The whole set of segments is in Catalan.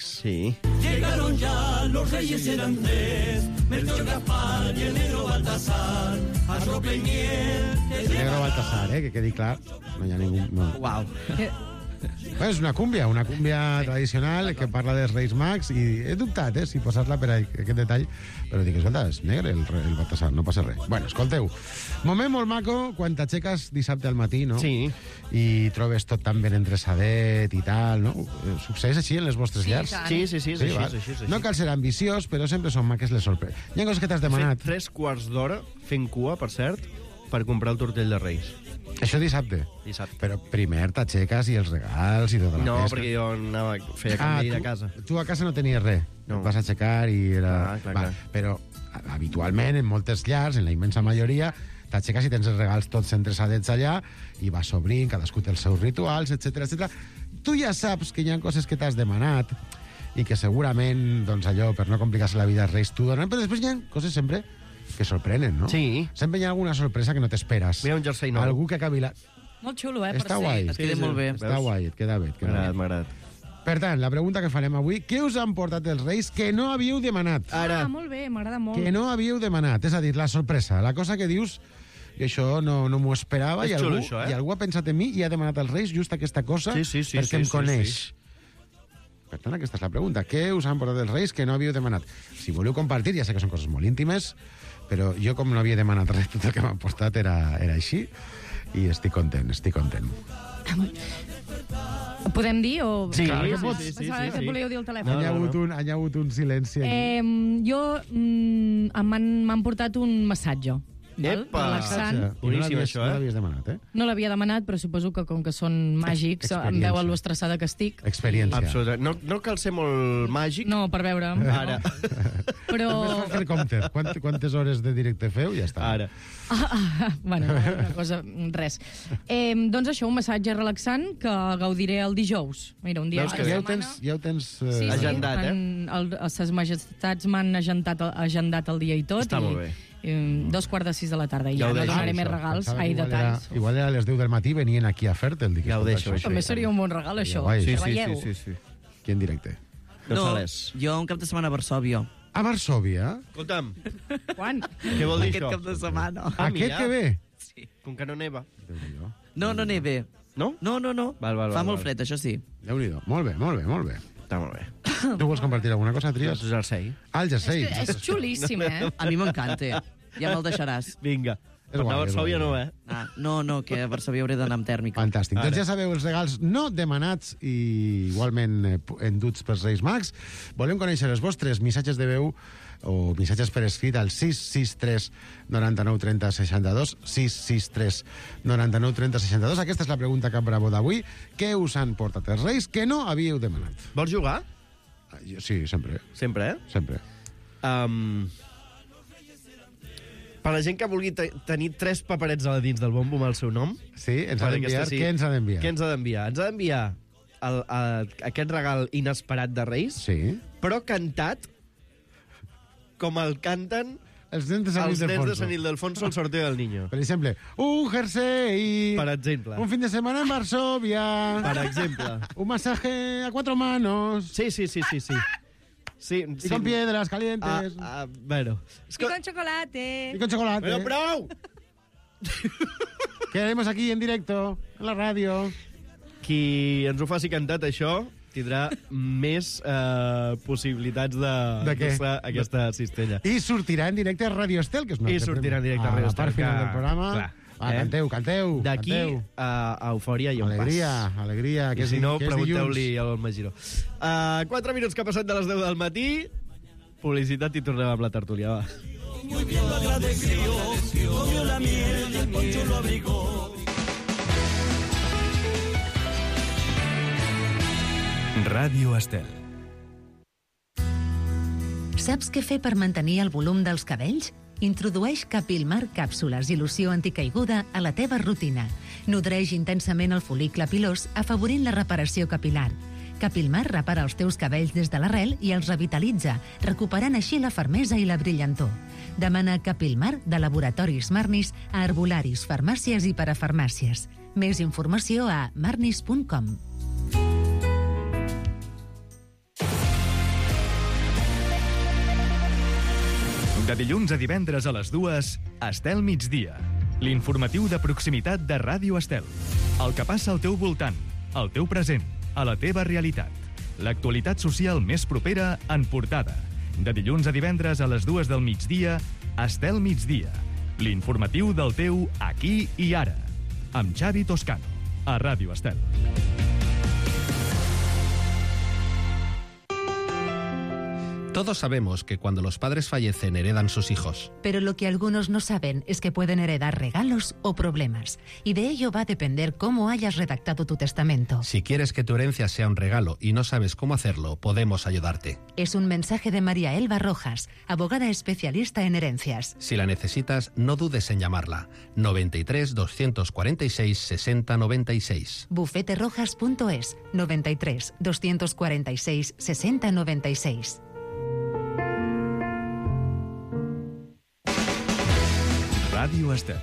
Reis. Sí. Llegaron ya, los reyes eran tres, Melchor, Gaspar y el negro Baltasar, arrope y miel. El negro Baltasar, que quedi clar. No hi ha ningú... No. Uau. És una cúmbia tradicional que parla dels Reis Mags i he dubtat, si posar-la per aquest detall, però dic, escolta, és negre el Baltasar, no passa res. Bueno, escolteu, moment molt maco quan t'aixeques dissabte al matí, no? Sí. I trobes tot tan ben endreçadet i tal, no? Succeeix així en les vostres llars? Sí, així. No cal ser ambiciós, però sempre són maques les sorpreses. Hi ha coses que t'has demanat. Fet 3 quarts d'hora fent cua, per cert, per comprar el tortell de Reis. Això dissabte? Dissabte. Però primer t'aixeques i els regals i tota la No, pesca. perquè jo feia canvi de casa. Tu a casa no tenies res. No. Et vas aixecar i era... Clar. Però habitualment, en moltes llars, en la immensa majoria, t'aixeques i tens els regals tots endreçadets allà i vas obrint, cadascú té els seus rituals, etc. Tu ja saps que hi ha coses que t'has demanat i que segurament, doncs allò, per no complicar-se la vida als Reis, t'ho donen, però després hi ha coses sempre que sorprenen, no? Sí. Sempre hi ha alguna sorpresa que no t'esperes. Mira un jersei nou. Algú que acabi la... Molt xulo, per Està ser. guai. Es queda molt bé. Està guai, et queda bé. M'ha agradat. Per tant, la pregunta que farem avui, què us han portat els Reis que no havíeu demanat? Ara. Molt bé, m'agrada molt. Que no havíeu demanat, és a dir, la sorpresa, la cosa que dius, i això no m'ho esperava, És i xulo, algú, això, i algú ha pensat en mi i ha demanat als Reis just aquesta cosa perquè em coneix. Per tant, aquesta és la pregunta. Què us han portat els Reis que no havíeu demanat? Si voleu compartir, ja sé que són coses molt íntimes, però jo, com no havia demanat res, tot el que m'han portat era així, i estic content. Podem dir o... Sí, Clar que sí, pots. sí, sí, Pensava sí, que sí. volíeu dir el telèfon. Hi ha hagut un silenci aquí. Jo m'han portat un massatge. val? Epa! Relaxant. Boníssim, això, No l'havies demanat, No l'havia demanat, però suposo que com que són màgics, em Experiència. veuen lo estressada que estic. Experiència. Absolutament. No cal ser molt màgic. No, per veure. Ara. Però... Només fa fer compte. Quantes hores de directe feu? Ja està. Ara. Bueno, una cosa, res. Doncs això, un massatge relaxant que gaudiré el dijous. Mira, un dia Veus a que la Ja setmana. ho tens... Sí, Agendat, Ses majestats m'han agendat el dia i tot. Està molt bé. 2:45 de la tarda. I Ja ja ho no deixo, donaré més Això, regals. pensava Ai, que detalls. Igual era a les 10 del matí, venien aquí a fer-te'l. Dic, Ja ho escolta, deixo, això. També seria un bon regal, això. guai. Sí, Que sí, veieu. sí. Aquí en directe. González. jo un cap de setmana a Varsòvia. A Varsòvia? Escolta'm, Quan? què vol dir Aquest això? cap de setmana. Aquest mira. que ve? Sí. Com que no neva. Déu-n'hi-do. No No? neve. No. Val, Fa molt val. fred, això sí. Déu-n'hi-do. Molt bé, molt bé, molt bé. Està molt bé. Tu vols compartir alguna cosa, Doncs Trias? jersei. Ah, el jersei. És xulíssim, A mi m'encanta. Ja me'l deixaràs. Vinga. És Per anar a guai, és Varsòvia guai. no, No, que a Varsòvia hauré d'anar amb tèrmica. Fantàstic. Ara. Doncs ja sabeu els regals no demanats i igualment enduts pels Reis Mags. Volem conèixer els vostres missatges de veu o missatges per escrit al 663 99 30 62 663 99 30 62. Aquesta és la pregunta Cap Bravo d'avui. Què us han portat els Reis que no havíeu demanat? Vols jugar? Sí, sempre. Sempre, Sempre. Per la gent que vulgui tenir 3 paperets a la dins del bombo amb el seu nom... Sí, ens ha per d'enviar. aquesta, Què ens ha d'enviar? Què ens ha d'enviar? Ens ha d'enviar aquest regal inesperat de Reis, Sí. però cantat com el canten Els nens de Sant els nens de Ildefonso. Sant Ildefonso al sorteo del niño. Per exemple, un jersey. Per exemple. Un fin de semana en Varsovia. Per exemple. Un masaje a 4 manos. Sí. Sí, Y con piedras calientes. Bueno. I con chocolate. Y con chocolate. Però prou! Que haremos aquí en directo, en la radio. Qui ens ho faci cantat, això, tindrà més possibilitats De què? aquesta cistella. I sortirà en directe a Radio Estel, que és una I sortirà en directe a Radio la part Estel, final que- del programa. clar, Va, canteu. D'aquí canteu. a Eufòria hi ha un Alegria, alegria. I si no, que és pregunteu-li dilluns. al Magiró. 4 minuts que ha passat de les 10 del matí. Publicitat i tornem amb la tertúlia, va. Muy bien lo agradeció, comió la miel y el poncho lo abrigó. Ràdio Estel. Saps què fer per mantenir el volum dels cabells? Introdueix Capilmar càpsules i loció anticaiguda a la teva rutina. Nodreix intensament el fol·licle pilós, afavorint la reparació capilar. Capilmar repara els teus cabells des de l'arrel i els revitalitza, recuperant així la fermesa i la brillantor. Demana Capilmar de Laboratoris Marnis a herbolaris, farmàcies i parafarmàcies. Més informació a marnis.com. De dilluns a divendres a les 2, Estel Migdia. L'informatiu de proximitat de Ràdio Estel. El que passa al teu voltant, al teu present, a la teva realitat. L'actualitat social més propera en portada. De dilluns a divendres a les 2 del migdia, Estel Migdia. L'informatiu del teu aquí i ara. Amb Xavi Toscano, a Ràdio Estel. Todos sabemos que cuando los padres fallecen heredan sus hijos. Pero lo que algunos no saben es que pueden heredar regalos o problemas. Y de ello va a depender cómo hayas redactado tu testamento. Si quieres que tu herencia sea un regalo y no sabes cómo hacerlo, podemos ayudarte. Es un mensaje de María Elba Rojas, abogada especialista en herencias. Si la necesitas, no dudes en llamarla. 93 246 60 96. Bufeterojas.es 93 246 60 96. Ràdio Estel.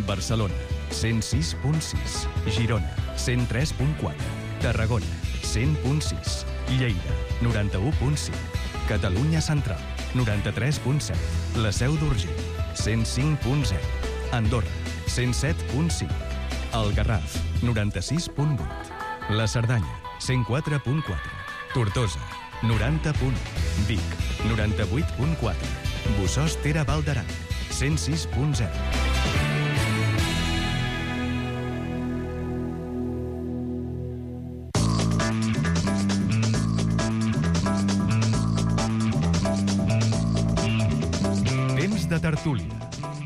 Barcelona, 106.6. Girona, 103.4. Tarragona, 100.6. Lleida, 91.5. Catalunya Central, 93.7. La Seu d'Urgell, 105.0. Andorra, 107.5. El Garraf, 96.8. La Cerdanya, 104.4. Tortosa, 90.1. Vic, 98.4. Bossòst-Tere Val d'Aran, 106.0. Temps de tertúlia.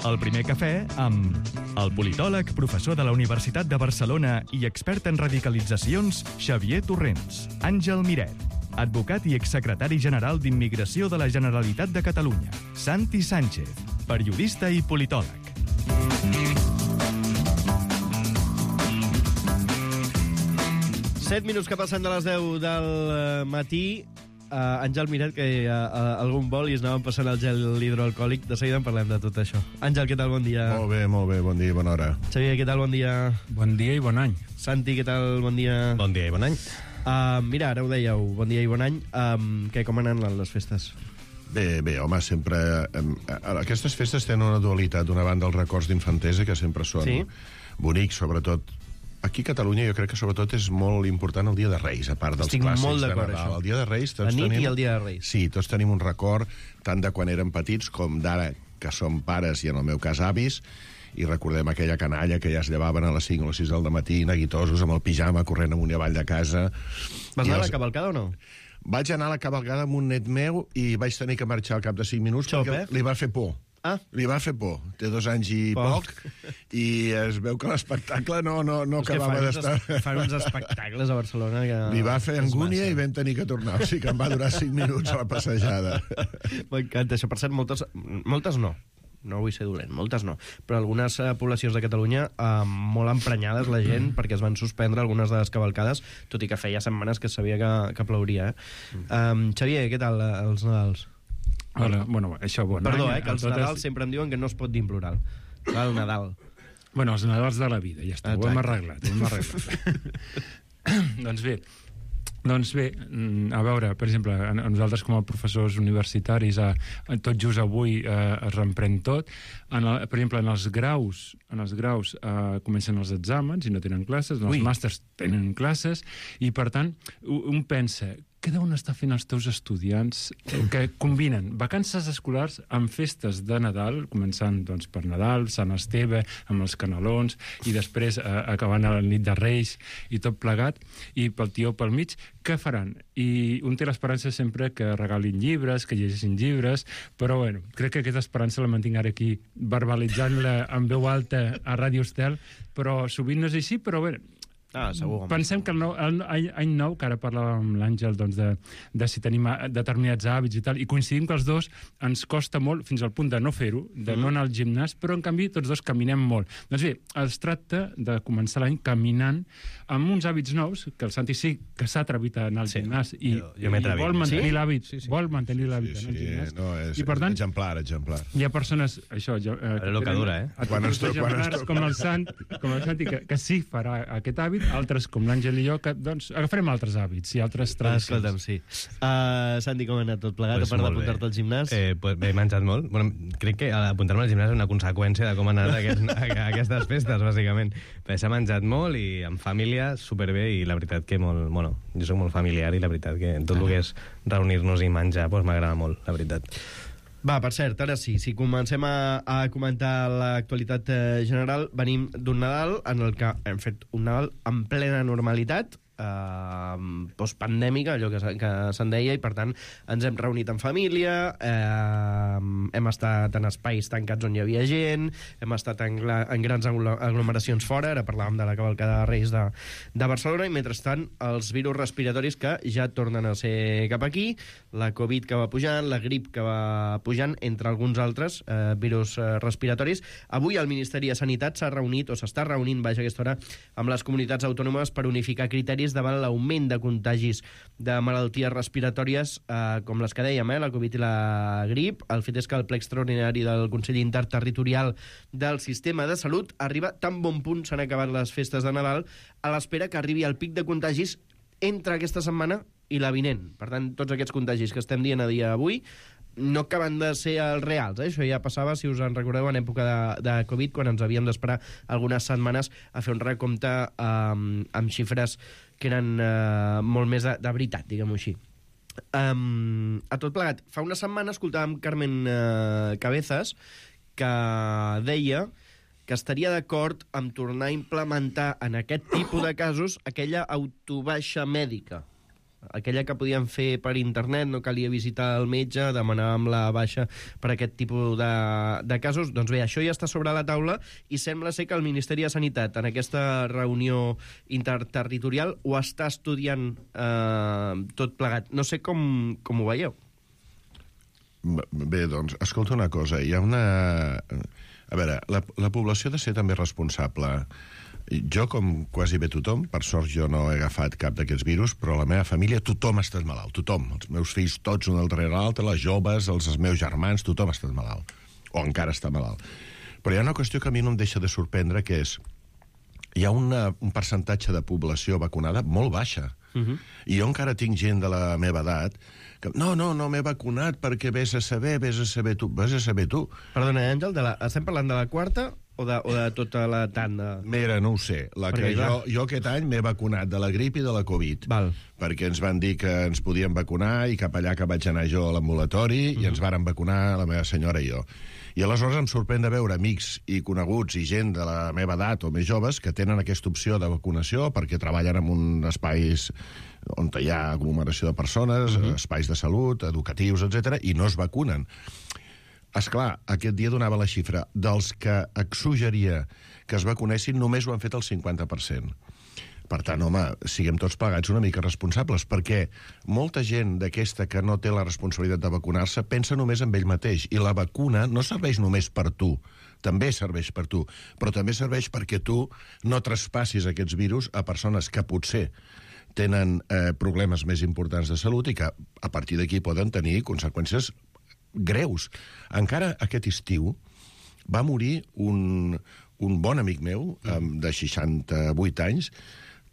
El primer cafè amb el politòleg, professor de la Universitat de Barcelona i expert en radicalitzacions, Xavier Torrents. Àngel Miret, advocat i exsecretari general d'Immigració de la Generalitat de Catalunya. Santi Sánchez, periodista i politòleg. Set minuts que passen de les 10 del matí. Àngel Miret, que algun vol i es anaven passant el gel hidroalcohòlic. De seguida en parlem de tot això. Àngel, què tal? Bon dia. Molt bé, bon dia i bona hora. Xavier, què tal? Bon dia. Bon dia i bon any. Santi, què tal? Bon dia. Bon dia i bon any. Mira, ara ho dèieu, bon dia i bon any. Com han anat les festes? Bé, home, sempre... Aquestes festes tenen una dualitat. D'una banda, els records d'infantesa, que sempre són bonics, sobretot. Aquí a Catalunya jo crec que sobretot és molt important el Dia de Reis, a part dels clàssics molt de d'acord, Nadal. això. El Dia de Reis... La nit i el Dia de Reis. Sí, tots tenim un record, tant de quan érem petits com d'ara, que som pares i, en el meu cas, avis, i recordem aquella canalla que ja es llevaven a les 5 o les 6 del matí, neguitosos, amb el pijama, corrent amunt i avall de casa. Vas anar a la cavalcada o no? Vaig anar a la cavalcada amb un net meu i vaig tenir que marxar al cap de 5 minuts perquè li va fer por. Li va fer por. Té 2 anys i poc i es veu que l'espectacle no acabava d'estar... Fan uns espectacles a Barcelona que... Li va fer angúnia i vam tenir que tornar. O sigui que em va durar 5 minuts a la passejada. M'encanta això. Per cert, moltes no. No vull ser dolent, moltes no. Però algunes poblacions de Catalunya molt emprenyades la gent perquè es van suspendre algunes de les cavalcades, tot i que feia setmanes que sabia que plouria. Xavier, què tal els Nadals? Hola, bueno, això bon Perdó, any. que els Nadals sempre em diuen que no es pot dir en plural. El Nadal. Bueno, els Nadals de la vida, ja està, ho hem arreglat. Doncs bé, a veure, per exemple, a nosaltres com a professors universitaris, tot just avui es reemprèn tot. Per exemple, en els graus comencen els exàmens i no tenen classes, en els màsters tenen classes, i per tant, un pensa, què deuen estar fent els teus estudiants que combinen vacances escolars amb festes de Nadal, començant doncs, per Nadal, Sant Esteve, amb els canelons, i després acabant a la nit de Reis i tot plegat, i pel tió pel mig, què faran? I un té l'esperança sempre que regalin llibres, que llegeixin llibres, però bueno, crec que aquesta esperança la mantinc ara aquí, verbalitzant-la en veu alta a Ràdio Estel, però sovint no és així, però bé, segur. Pensem que any nou, que ara parlàvem amb l'Àngel de si tenim determinats hàbits i tal, i coincidim que els dos ens costa molt, fins al punt de no fer-ho, de no anar al gimnàs, però en canvi tots dos caminem molt. Doncs bé, es tracta de començar l'any caminant amb uns hàbits nous, que el Santi sí que s'ha atrevit a anar al gimnàs i vol mantenir l'hàbit, vol mantenir l'hàbit en el gimnàs. I per tant, exemplar. Hi ha persones, això... Lo que dura, com el Santi, que sí farà aquest hàbit, altres com l'Àngel i jo, que doncs agafarem altres hàbits i altres tradicions. Escolta'm, sí. Santi, com ha anat tot plegat, a part d'apuntar-te al gimnàs? Pues he menjat molt. Bueno, crec que apuntar-me al gimnàs és una conseqüència de com han anat aquestes festes, bàsicament. Però s'ha menjat molt i en família superbé, i la veritat que molt... Bueno, jo soc molt familiar i la veritat que tot el que és reunir-nos i menjar pues, m'agrada molt, la veritat. Va, per cert, ara sí, si comencem a comentar l'actualitat general, venim d'un Nadal en el que hem fet un Nadal en plena normalitat, postpandèmica, allò que se'n deia, i per tant ens hem reunit en família, hem estat en espais tancats on hi havia gent, hem estat en grans aglomeracions fora, ara parlàvem de la cavalcada de Reis de Barcelona, i mentrestant els virus respiratoris que ja tornen a ser cap aquí, la Covid que va pujant, la grip que va pujant, entre alguns altres virus respiratoris. Avui el Ministeri de Sanitat s'ha reunit, o s'està reunint, vaja, aquesta hora, amb les comunitats autònomes per unificar criteris davant l'augment de contagis de malalties respiratòries com les que dèiem, la Covid i la grip. El fet és que el ple extraordinari del Consell Interterritorial del Sistema de Salut arriba tan bon punt s'han acabat les festes de Nadal, a l'espera que arribi el pic de contagis entre aquesta setmana i la vinent. Per tant, tots aquests contagis que estem dient a dia d'avui no acaben de ser els reals. Això ja passava, si us en recordeu, en època de Covid, quan ens havíem d'esperar algunes setmanes a fer un recompte amb xifres que eren molt més de veritat, diguem-ho així. A tot plegat, fa una setmana escoltàvem Carmen Cabezas, que deia que estaria d'acord amb tornar a implementar en aquest tipus de casos aquella autobaixa mèdica, aquella que podíem fer per internet, no calia visitar el metge, demanàvem la baixa per aquest tipus de casos. Doncs bé, això ja està sobre la taula i sembla ser que el Ministeri de Sanitat en aquesta reunió interterritorial ho està estudiant tot plegat. No sé com ho veieu. Bé, doncs, escolta una cosa, hi ha una... A veure, la població ha de ser també responsable. Jo, com quasi bé tothom, per sort jo no he agafat cap d'aquests virus, però a la meva família tothom ha estat malalt, tothom. Els meus fills tots, un darrere l'altre, les joves, els meus germans, tothom ha estat malalt. O encara està malalt. Però hi ha una qüestió que a mi no em deixa de sorprendre, que és... Hi ha un percentatge de població vacunada molt baixa. I jo encara tinc gent de la meva edat que no m'he vacunat perquè vés a saber tu. Perdona, Àngel, estem parlant de la quarta o de tota la tanda? Mira, no ho sé. Jo aquest any m'he vacunat de la grip i de la Covid. Perquè ens van dir que ens podíem vacunar i cap allà que vaig anar jo a l'ambulatori i ens varen vacunar la meva senyora i jo. I aleshores em sorprèn de veure amics i coneguts i gent de la meva edat o més joves que tenen aquesta opció de vacunació perquè treballen en un espais on hi ha aglomeració de persones, espais de salut, educatius, etc, i no es vacunen. Esclar, aquest dia donava la xifra dels que suggeria que es vacunessin, només ho han fet el 50%. Per tant, home, siguem tots plegats una mica responsables, perquè molta gent d'aquesta que no té la responsabilitat de vacunar-se pensa només en ell mateix, i la vacuna no serveix només per tu, també serveix per tu, però també serveix perquè tu no traspassis aquests virus a persones que potser tenen problemes més importants de salut i que a partir d'aquí poden tenir conseqüències greus. Encara aquest estiu va morir un bon amic meu de 68 anys.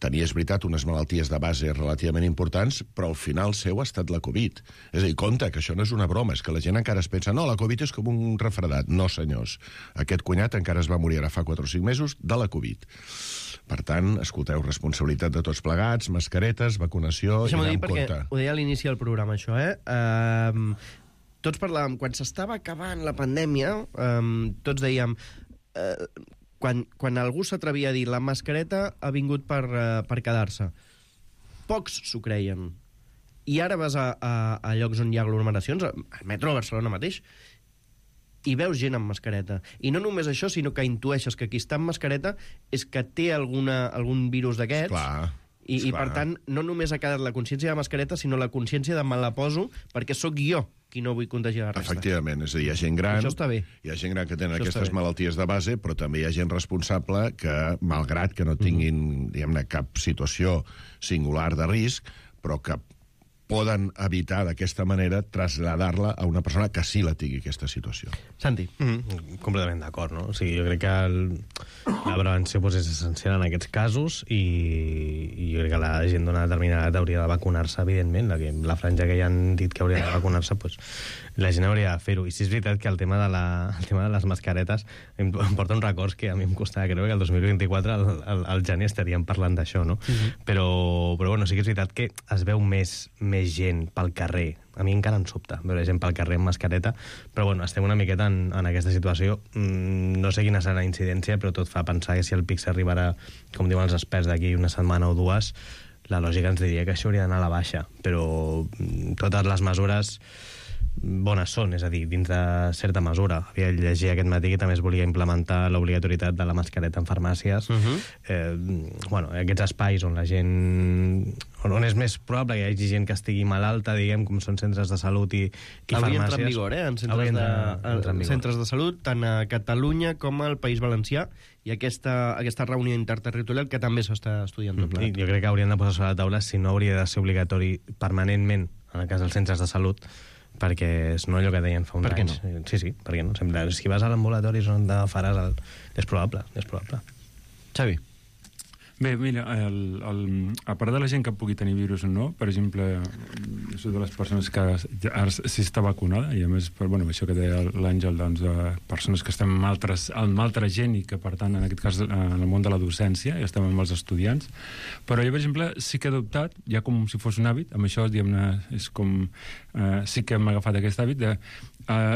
Tenia, és veritat, unes malalties de base relativament importants, però al final seu ha estat la Covid. És a dir, compte, que això no és una broma, és que la gent encara es pensa no, la Covid és com un refredat. No, senyors. Aquest cunyat encara es va morir ara fa 4 o 5 mesos de la Covid. Per tant, escolteu, responsabilitat de tots plegats, mascaretes, vacunació, i anar amb compte. Ho deia a l'inici del programa, això, tots parlàvem, quan s'estava acabant la pandèmia, tots dèiem... Quan algú s'atrevia a dir la mascareta ha vingut per quedar-se, pocs s'ho creien. I ara vas a llocs on hi ha aglomeracions, al metro de Barcelona mateix, i veus gent amb mascareta. I no només això, sinó que intueixes que qui està amb mascareta és que té algun virus d'aquests. I per tant, no només ha quedat la consciència de mascareta, sinó la consciència de me la poso perquè sóc jo qui no vull contagiar la resta. Efectivament, és a dir, hi ha gent gran... Això està bé. Hi ha gent gran que tenen aquestes malalties de base, però també hi ha gent responsable que, malgrat que no tinguin, diguem-ne, cap situació singular de risc, però que poden evitar d'aquesta manera traslladar-la a una persona que sí la tingui aquesta situació. Santi. Completament d'acord, no? O sigui, jo crec que la prevenció és essencial en aquests casos i jo crec que la gent d'una determinada edat hauria de vacunar-se, evidentment. La franja que ja han dit que hauria de vacunar-se, doncs la gent hauria de fer-ho. I sí és veritat que el tema de les mascaretes em porta uns records que a mi em costava creure que el 2024 al gener estaríem parlant d'això, no? Però bueno, sí que és veritat que es veu més gent pel carrer. A mi encara em sobta veure gent pel carrer amb mascareta, però bueno, estem una miqueta en aquesta situació. No sé quina serà la incidència, però tot fa pensar que si el pic s'arribarà, com diuen els experts, d'aquí una setmana o dues, la lògica ens diria que això hauria d'anar a la baixa. Però totes les mesures bones són, és a dir, dins de certa mesura. Havia llegit aquest matí que també es volia implementar l'obligatorietat de la mascareta en farmàcies. Bueno, aquests espais on la gent... on és més probable que hi hagi gent que estigui malalta, diguem, com són centres de salut i farmàcies. Hauria d'entrar en vigor, en centres de salut, tant a Catalunya com al País Valencià, i aquesta reunió interterritorial que també s'està estudiant tot plegat. Jo crec que haurien de posar sobre la taula si no hauria de ser obligatori permanentment, en el cas dels centres de salut, perquè és no allò que deien fa uns anys. Per què no? Sí, per què no? Sempre, si vas a l'ambulatori és on faràs és probable. Xavi. Bé, mira, a part de la gent que pugui tenir virus o no, per exemple, jo soc de les persones que ara sí està vacunada, i a més, bueno, això que deia l'Àngel, doncs, persones que estem amb altra gent i que, per tant, en aquest cas, en el món de la docència, i estem amb els estudiants, però jo, per exemple, sí que he adoptat, ja com si fos un hàbit, amb això, diguem-ne, és com... sí que hem agafat aquest hàbit de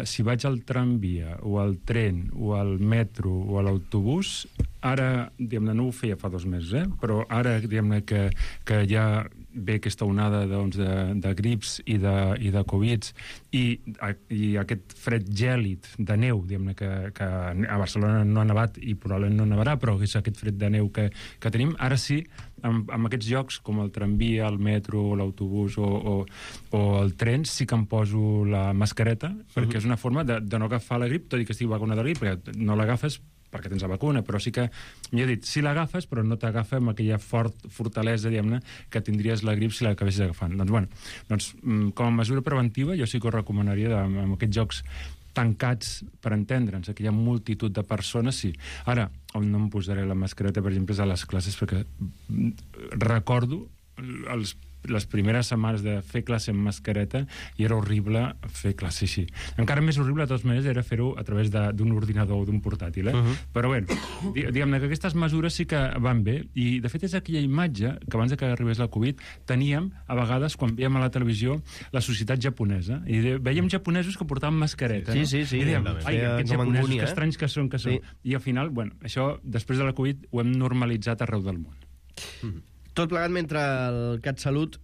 si vaig al tramvia o al tren o al metro o a l'autobús, ara, diguem-ne, no ho feia fa 2 mesos, però ara, diguem-ne, que ja ve aquesta onada de grips i de Covids i aquest fred gèlid de neu, diguem-ne, que a Barcelona no ha nevat i probablement no nevarà, però és aquest fred de neu que tenim, ara sí, amb aquests llocs com el tramvia, el metro, l'autobús o el tren, sí que em poso la mascareta, perquè és una forma de no agafar la grip, tot i que estic vacunat de la grip, perquè no l'agafes perquè tens la vacuna, però sí que, millor dit, sí l'agafes, però no t'agafa amb aquella fortalesa, diguem-ne, que tindries la grip si l'acabessis agafant. Doncs, bueno, com a mesura preventiva, jo sí que ho recomanaria amb aquests jocs tancats, per entendre'ns, que hi ha multitud de persones, sí. Ara, on no em posaré la mascareta, per exemple, és a les classes, perquè recordo les primeres setmanes de fer classe amb mascareta i era horrible fer classe així. Encara més horrible, de totes maneres, era fer-ho a través d'un ordinador o d'un portàtil, Però bé, diguem-ne que aquestes mesures sí que van bé, i de fet és aquella imatge que abans que arribés la Covid teníem, a vegades, quan veiem a la televisió la societat japonesa, i veiem japonesos que portaven mascareta, Sí. I dèiem, ai, aquests japonesos, que estranys que són. I al final, bueno, això, després de la Covid, ho hem normalitzat arreu del món. Tot plegat mentre el CatSalut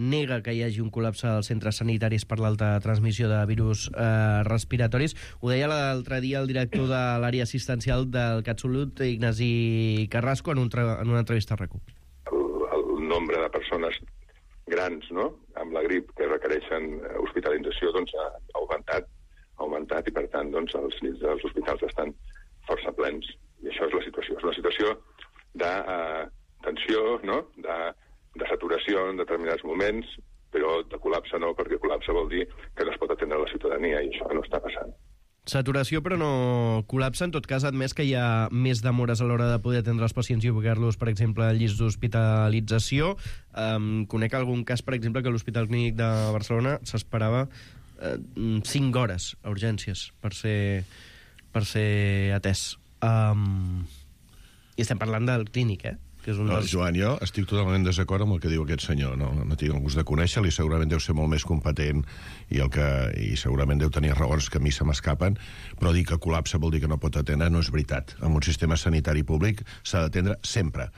nega que hi hagi un col·lapse als centres sanitaris per l'alta transmissió de virus respiratoris. Ho deia l'altre dia el director de l'àrea assistencial del CatSalut, Ignasi Carrasco, en una entrevista a RAC1. El nombre de persones grans, no?, amb la grip que requereixen hospitalització, doncs ha augmentat, i per tant, doncs, els llits dels hospitals estan força plens. I això és la situació. És una situació de tensió, no?, de saturació en determinats moments, però de col·lapse no, perquè col·lapse vol dir que no es pot atendre la ciutadania, i això no està passant. Saturació, però no col·lapse. En tot cas, admès que hi ha més demores a l'hora de poder atendre els pacients i ubicar-los, per exemple, al llist d'hospitalització. Conec algun cas, per exemple, que a l'Hospital Clínic de Barcelona s'esperava 5 hores a urgències per ser atès. I estem parlant del clínic, Joan, jo estic totalment en desacord amb el que diu aquest senyor. No tinc el gust de conèixer-li, segurament deu ser molt més competent i segurament deu tenir raons que a mi se m'escapen, però dir que col·lapse vol dir que no pot atendre no és veritat. En un sistema sanitari públic s'ha d'atendre sempre.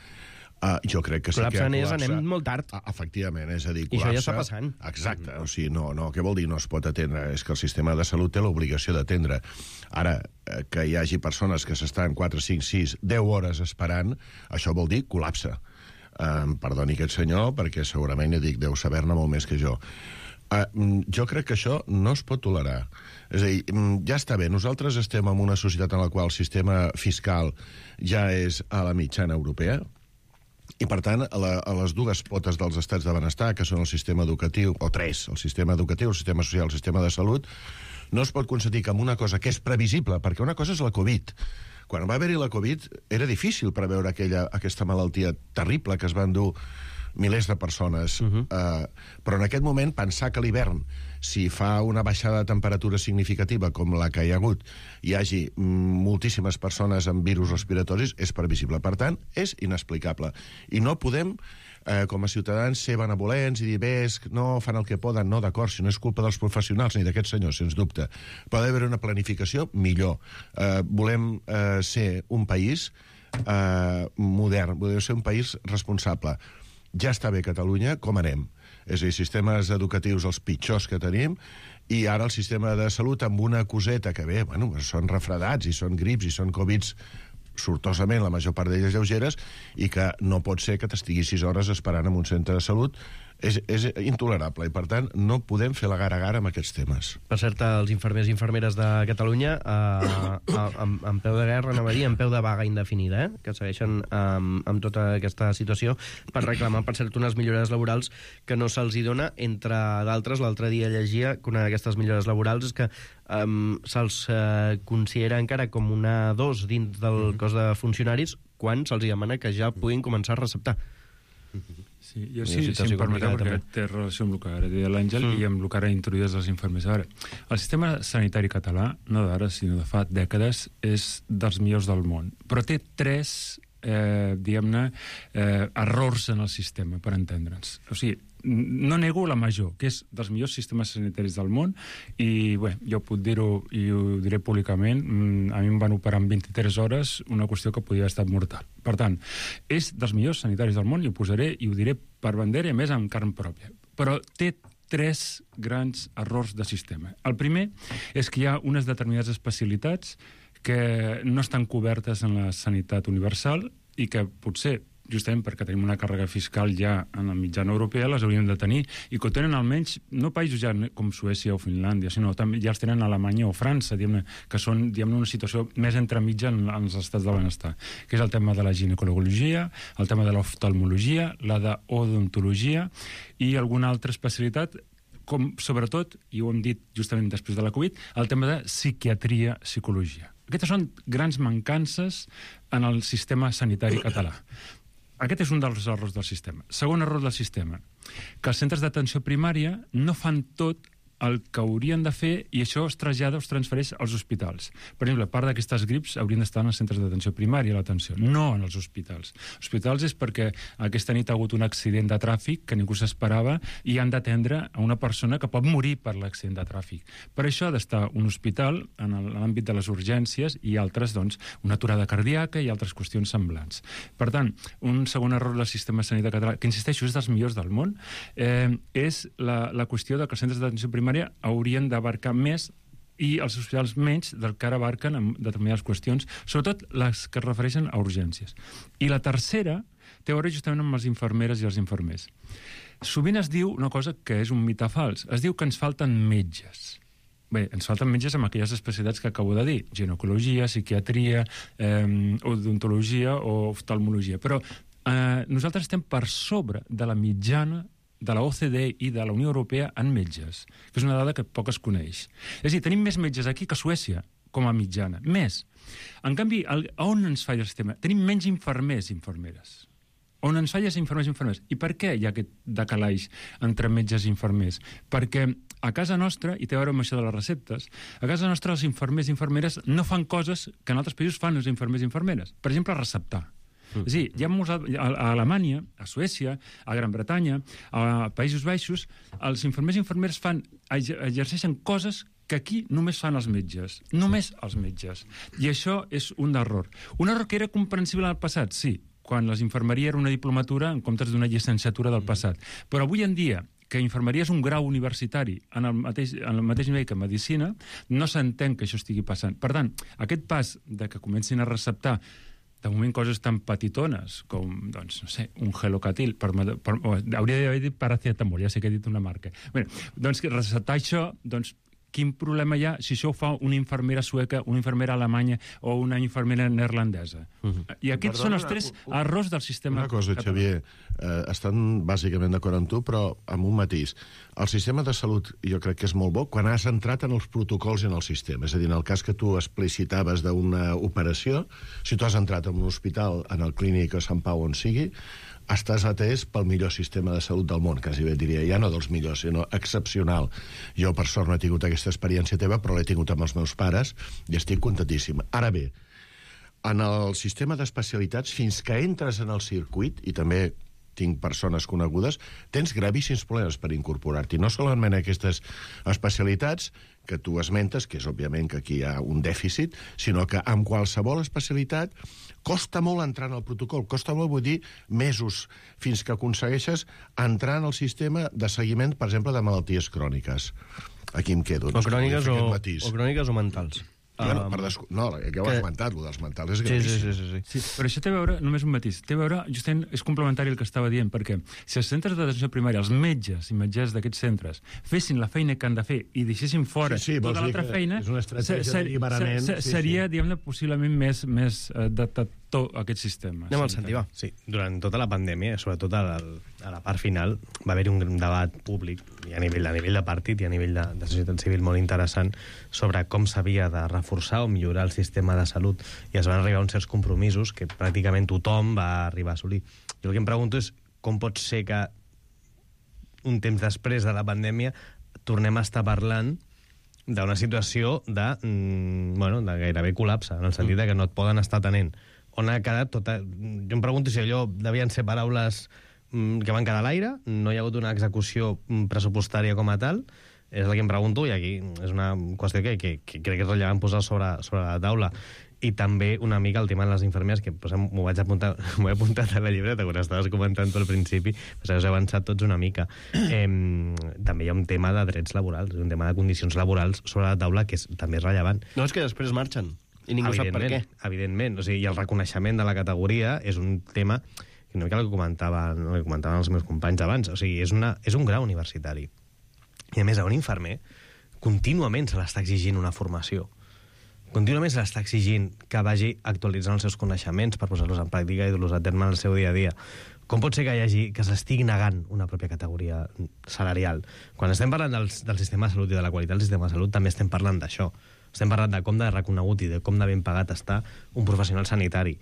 Jo crec que sí que anem molt tard. Efectivament, és a dir, col·lapse... I això ja està passant. Exacte, o sigui, no, què vol dir no es pot atendre? És que el sistema de salut té l'obligació d'atendre. Ara, que hi hagi persones que s'estan 4, 5, 6, 10 hores esperant, això vol dir col·lapse. Perdoni aquest senyor, perquè segurament, deu saber-ne molt més que jo. Jo crec que això no es pot tolerar. És a dir, ja està bé, nosaltres estem en una societat en la qual el sistema fiscal ja és a la mitjana europea, I, per tant, a les dues potes dels estats de benestar, que són el sistema educatiu, o tres, el sistema educatiu, el sistema social, el sistema de salut, no es pot concedir que amb una cosa que és previsible, perquè una cosa és la Covid. Quan va haver-hi la Covid era difícil preveure aquesta malaltia terrible que es va endur milers de persones. Però en aquest moment, pensar que l'hivern, si fa una baixada de temperatura significativa com la que hi ha hagut, hi hagi moltíssimes persones amb virus respiratoris, és previsible. Per tant, és inexplicable. I no podem, com a ciutadans, ser benevolents i dir, no fan el que poden, no, d'acord, si no és culpa dels professionals ni d'aquests senyors, sens dubte. Però ha d'haver una planificació millor. Volem ser un país modern, volem ser un país responsable. Ja està bé Catalunya, com anem? És a dir, sistemes educatius els pitjors que tenim, i ara el sistema de salut amb una coseta que bé, bueno, són refredats, i són grips, i són Covids, sortosament, la major part d'elles lleugeres, i que no pot ser que t'estiguis 6 hores esperant en un centre de salut. És intolerable, i per tant no podem fer la gara-gara amb aquests temes. Per cert, els infermers i infermeres de Catalunya en peu de guerra, anava a dir, en peu de vaga indefinida, que segueixen amb tota aquesta situació per reclamar, per cert, unes millores laborals que no se'ls hi dona, entre d'altres. L'altre dia llegia que una d'aquestes millores laborals és que se'ls considera encara com una dos dins del cos de funcionaris quan se'ls demana que ja puguin començar a receptar. Sí, jo sí, si em permeteu, perquè té relació amb el que ara deia l'Àngel i amb el que ara introduïdes les infermers. A veure, el sistema sanitari català, no d'ara, sinó de fa dècades, és dels millors del món. Però té tres, diguem-ne, errors en el sistema, per entendre'ns. O sigui, no nego la major, que és dels millors sistemes sanitaris del món, i bé, jo puc dir-ho i ho diré públicament, a mi em van operar en 23 hores una qüestió que podia haver estat mortal. Per tant, és dels millors sanitaris del món, i ho posaré i ho diré per bandera, i a més amb carn pròpia. Però té tres grans errors de sistema. El primer és que hi ha unes determinades especialitats que no estan cobertes en la sanitat universal i que potser, justament perquè tenim una càrrega fiscal ja en la mitjana europea, les hauríem de tenir, i que ho tenen almenys, no països ja com Suècia o Finlàndia, sinó també ja els tenen a Alemanya o França, que són una situació més entremitja en els estats de benestar, que és el tema de la ginecologia, el tema de l'oftalmologia, la d'odontologia i alguna altra especialitat, com sobretot, i ho hem dit justament després de la Covid, el tema de psiquiatria-psicologia. Aquestes són grans mancances en el sistema sanitari català. Aquest és un dels errors del sistema. Segon error del sistema, que els centres d'atenció primària no fan tot el que haurien de fer, i això es trasllada o es transfereix als hospitals. Per exemple, part d'aquestes grips haurien d'estar en els centres d'atenció primària, l'atenció, no en els hospitals. Els hospitals és perquè aquesta nit ha hagut un accident de tràfic que ningú s'esperava i han d'atendre a una persona que pot morir per l'accident de tràfic. Per això ha d'estar un hospital en l'àmbit de les urgències i altres, doncs, una aturada cardíaca i altres qüestions semblants. Per tant, un segon error del sistema sanitari català, que insisteixo, és dels millors del món, és la qüestió de que els centres d'atenció primària haurien d'abarcar més i els hospitals menys del que ara abarquen en determinades qüestions, sobretot les que es refereixen a urgències. I la tercera té a veure justament amb les infermeres i els infermers. Sovint es diu una cosa que és un mite fals. Es diu que ens falten metges. Bé, ens falten metges amb aquelles especialitats que acabo de dir, ginecologia, psiquiatria, odontologia o oftalmologia. Però nosaltres estem per sobre de la mitjana de la OCDE i de la Unió Europea en metges, que és una dada que poc es coneix. És a dir, tenim més metges aquí que a Suècia, com a mitjana. Més. En canvi, on ens falla el sistema? Tenim menys infermers i infermeres. On ens falla és infermers i infermeres. I per què hi ha aquest decalaix entre metges i infermers? Perquè a casa nostra, i té a veure amb això de les receptes, a casa nostra els infermers i infermeres no fan coses que en altres països fan els infermers i infermeres. Per exemple, receptar. És a dir, hi ha molts, a Alemanya, a Suècia, a Gran Bretanya, a Països Baixos, els infermers i infermeres exerceixen coses que aquí només fan els metges. Només els metges. I això és un error. Un error que era comprensible en el passat, sí, quan les infermeria era una diplomatura en comptes d'una llicenciatura del passat. Però avui en dia, que infermeria és un grau universitari en el mateix nivell que medicina, no s'entén que això estigui passant. Per tant, aquest pas de que comencin a receptar de moment coses tan petitones com, doncs, no sé, un Gelocatil, hauria d'haver dit paracetamol, ja sé que he dit una marca. Bé, doncs receptar això, doncs, quin problema hi ha si això ho fa una infermera sueca, una infermera alemanya o una infermera neerlandesa? I aquests són els 3 errors del sistema. Una cosa, Xavier, estan bàsicament d'acord amb tu, però amb un matís. El sistema de salut jo crec que és molt bo quan has entrat en els protocols i en el sistema. És a dir, en el cas que tu explicitaves d'una operació, si tu has entrat en un hospital, en el clínic a Sant Pau on sigui, estàs atès pel millor sistema de salut del món, quasi bé diria, ja no dels millors, sinó excepcional. Jo, per sort, no he tingut aquesta experiència teva, però l'he tingut amb els meus pares i estic contentíssim. Ara bé, en el sistema d'especialitats, fins que entres en el circuit, i també tinc persones conegudes, tens gravíssims problemes per incorporar-t'hi. No solament aquestes especialitats que tu esmentes, que és òbviament que aquí hi ha un dèficit, sinó que amb qualsevol especialitat costa molt entrar en el protocol, costa molt, vull dir, mesos, fins que aconsegueixes entrar en el sistema de seguiment, per exemple, de malalties cròniques. Aquí em quedo. O cròniques o mentals. No, ja ho has esmentat, el dels mentals és gravíssim. Sí, però això té a veure, només un matís, té a veure, justament, és complementari el que estava dient, perquè si els centres d'atenció primària, els metges i metgesses d'aquests centres, fessin la feina que han de fer i deixessin fora tota l'altra feina, seria, diguem-ne, possiblement més detector aquest sistema. Anem al Santi, va. Sí, durant tota la pandèmia, sobretot a la part final, va haver-hi un debat públic, i a nivell de partit i a nivell de societat civil molt interessant, sobre com s'havia de reforçar o millorar el sistema de salut, i es van arribar a uns certs compromisos que pràcticament tothom va arribar a assolir. Jo el que em pregunto és com pot ser que un temps després de la pandèmia tornem a estar parlant d'una situació de gairebé col·lapse, en el sentit que no et poden estar atenent. On ha quedat tota... Jo em pregunto si allò devien ser paraules que van quedar a l'aire, no hi ha hagut una execució pressupostària com a tal, és el que em pregunto, i aquí és una qüestió que crec que és rellevant posar sobre la taula. I també una mica el tema de les infermeres, que m'ho he apuntat a la llibreta quan estaves comentant al principi, però us he avançat tots una mica. També hi ha un tema de drets laborals, un tema de condicions laborals sobre la taula que també és rellevant. No, és que després marxen, i ningú sap per què. Evidentment, o sigui, i el reconeixement de la categoria és un tema que una mica el que comentaven els meus companys abans, o sigui, és un grau universitari. I a més, a un infermer contínuament se l'està exigint una formació. Contínuament se l'està exigint que vagi actualitzant els seus coneixements per posar-los en pràctica i dur-los a terme en el seu dia a dia. Com pot ser que s'estigui negant una pròpia categoria salarial? Quan estem parlant del sistema de salut i de la qualitat del sistema de salut, també estem parlant d'això. Estem parlant de com de reconegut i de com de ben pagat està un professional sanitari.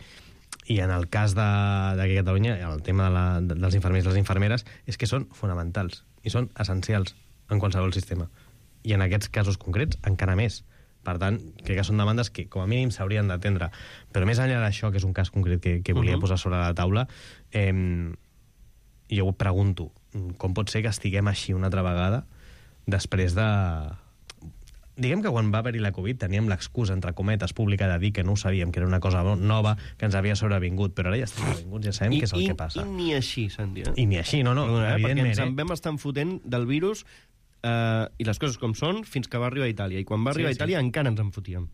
I en el cas d'aquí a Catalunya, el tema dels infermers i les infermeres, és que són fonamentals i són essencials en qualsevol sistema. I en aquests casos concrets, encara més. Per tant, crec que són demandes que, com a mínim, s'haurien d'atendre. Però més enllà d'això, que és un cas concret que volia posar sobre la taula, jo ho pregunto, com pot ser que estiguem així una altra vegada després de... Diguem que quan va haver-hi la Covid teníem l'excusa, entre cometes, pública de dir que no ho sabíem, que era una cosa nova, que ens havia sobrevingut, però ara ja estem sobrevinguts, ja sabem què és el que passa. I ni així, Santi. I ni així, no, evidentment. Perquè ens en vam estar fotent del virus i les coses com són fins que va arribar a Itàlia. I quan va arribar a Itàlia encara ens en fotíem.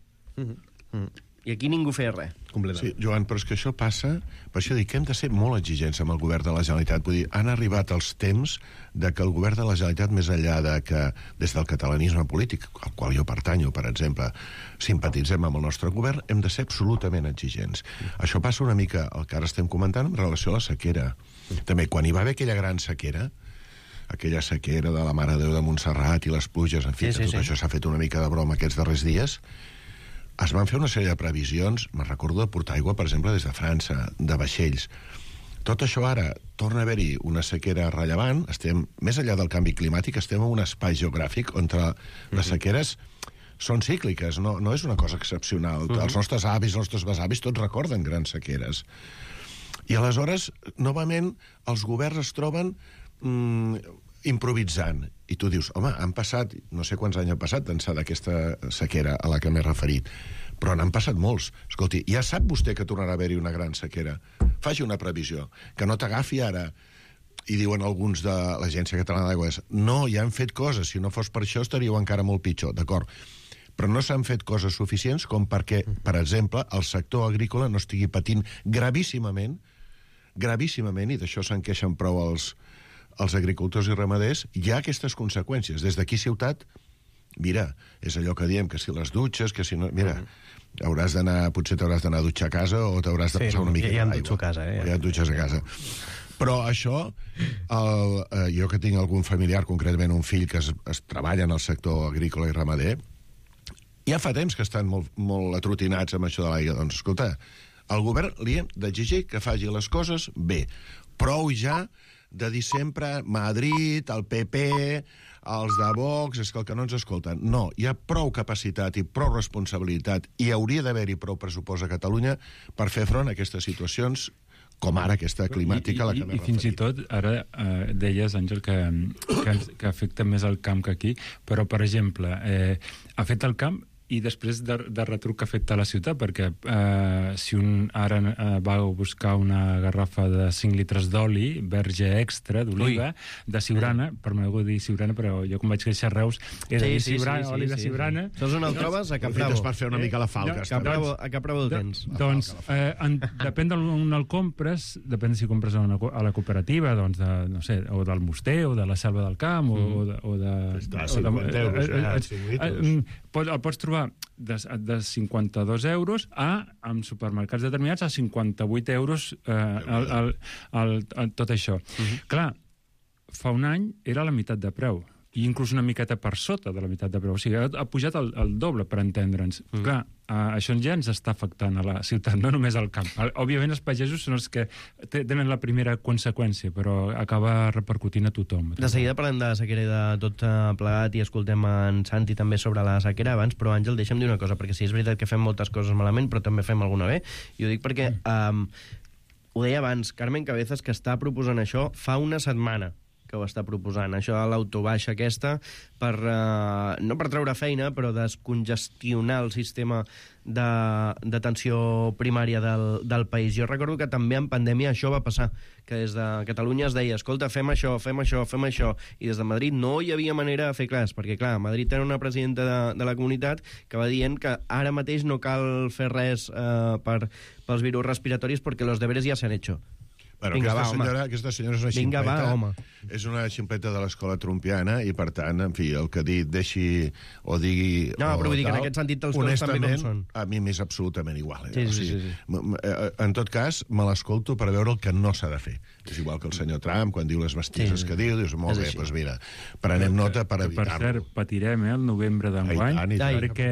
I aquí ningú feia res. Sí, Joan, però és que això passa... Per això dic que hem de ser molt exigents amb el govern de la Generalitat. Vull dir, han arribat els temps de que el govern de la Generalitat, més enllà de que des del catalanisme polític, al qual jo pertanyo, per exemple, simpatitzem amb el nostre govern, hem de ser absolutament exigents. Això passa una mica, el que ara estem comentant, en relació a la sequera. També, quan hi va haver aquella gran sequera, aquella sequera de la Mare de Déu de Montserrat i les pluges, en fi, tot això s'ha fet una mica de broma aquests darrers dies, es van fer una sèrie de previsions, me'n recordo de portar aigua, per exemple, des de França, de vaixells. Tot això ara torna a haver-hi una sequera rellevant, estem, més enllà del canvi climàtic, estem en un espai geogràfic on les sequeres són cícliques, no és una cosa excepcional. Els nostres avis, els nostres besavis, tots recorden grans sequeres. I aleshores, novament, els governs es troben improvisant. I tu dius, home, han passat, no sé quants anys han passat d'ençà d'aquesta sequera a la que m'he referit, però n'han passat molts. Escolti, ja sap vostè que tornarà a haver-hi una gran sequera. Faci una previsió. Que no t'agafi ara, i diuen alguns de l'Agència Catalana d'Aigües, no, ja han fet coses, si no fos per això estaríeu encara molt pitjor, d'acord. Però no s'han fet coses suficients com perquè, per exemple, el sector agrícola no estigui patint gravíssimament, i d'això se'n queixen prou els agricultors i ramaders, hi ha aquestes conseqüències. Des d'aquí Ciutat Mira, és allò que diem, que si les dutxes, que si no... Mira, potser t'hauràs d'anar a dutxar a casa o t'hauràs de passar una mica ja d'aigua. dutxo a casa, Ja et dutxes a casa. Però això, jo que tinc algun familiar, concretament un fill que es treballa en el sector agrícola i ramader, ja fa temps que estan molt atrotinats amb això de l'aigua. Doncs, escolta, al govern li hem d'exigir que faci les coses bé. Prou ja de dir sempre Madrid, el PP, els de Vox, és que el que no ens escolten. No, hi ha prou capacitat i prou responsabilitat i hauria d'haver-hi prou pressupost a Catalunya per fer front a aquestes situacions com ara aquesta climàtica a la que m'he referit. I fins i tot, ara deies, Àngel, que afecta més el camp que aquí, però, per exemple, ha fet el camp i després de retruc que ha fet a la ciutat, perquè si un ara va a buscar una garrafa de 5 litres d'oli, verge extra, d'oliva, de Siurana, permeteu dir Siurana, però jo quan vaig créixer a Reus era oli de Siurana. Saps on el trobes? A Cap Bravo. Per fer una mica la falca. A Cap Bravo el tens. Doncs, depèn d'on el compres, depèn si compres a la cooperativa, doncs, no sé, o del Moster, o de la Selva del Camp, o de... 50 euros, el pots trobar de 52 euros en supermercats determinats a 58 euros tot això. Clar, fa un any era la meitat de preu, i inclús una miqueta per sota de la meitat de preu. O sigui, ha pujat el doble, per entendre'ns. Clar, això ja ens està afectant a la ciutat, no només al camp. Òbviament, els pagesos són els que tenen la primera conseqüència, però acaba repercutint a tothom. De seguida parlem de la sequera i de tot plegat i escoltem en Santi també sobre la sequera abans, però Àngel, deixa'm dir una cosa, perquè sí, és veritat que fem moltes coses malament, però també fem alguna bé, i ho dic perquè, ho deia abans, Carmen Cabezas, que està proposant això fa una setmana que ho està proposant, això de l'autobaixa aquesta, no per treure feina, però descongestionar el sistema d'atenció primària del país. Jo recordo que també en pandèmia això va passar, que des de Catalunya es deia, escolta, fem això, i des de Madrid no hi havia manera de fer clars, perquè clar, a Madrid tenen una presidenta de la comunitat que va dient que ara mateix no cal fer res pels virus respiratoris perquè los deberes ja s'han hecho. Bueno, aquesta senyora és una ximpleta, és una ximpleta de l'escola trumpiana i, per tant, en fi, el que deixi o digui... No, però vull dir que en aquest sentit els coses també com són. A mi m'és absolutament igual. Sí. En tot cas, me l'escolto per veure el que no s'ha de fer. És igual que el senyor Trump, quan diu les bestieses que diu, dius, molt bé, doncs mira, prenem nota per evitar-lo. Per cert, patirem el novembre d'enguany, perquè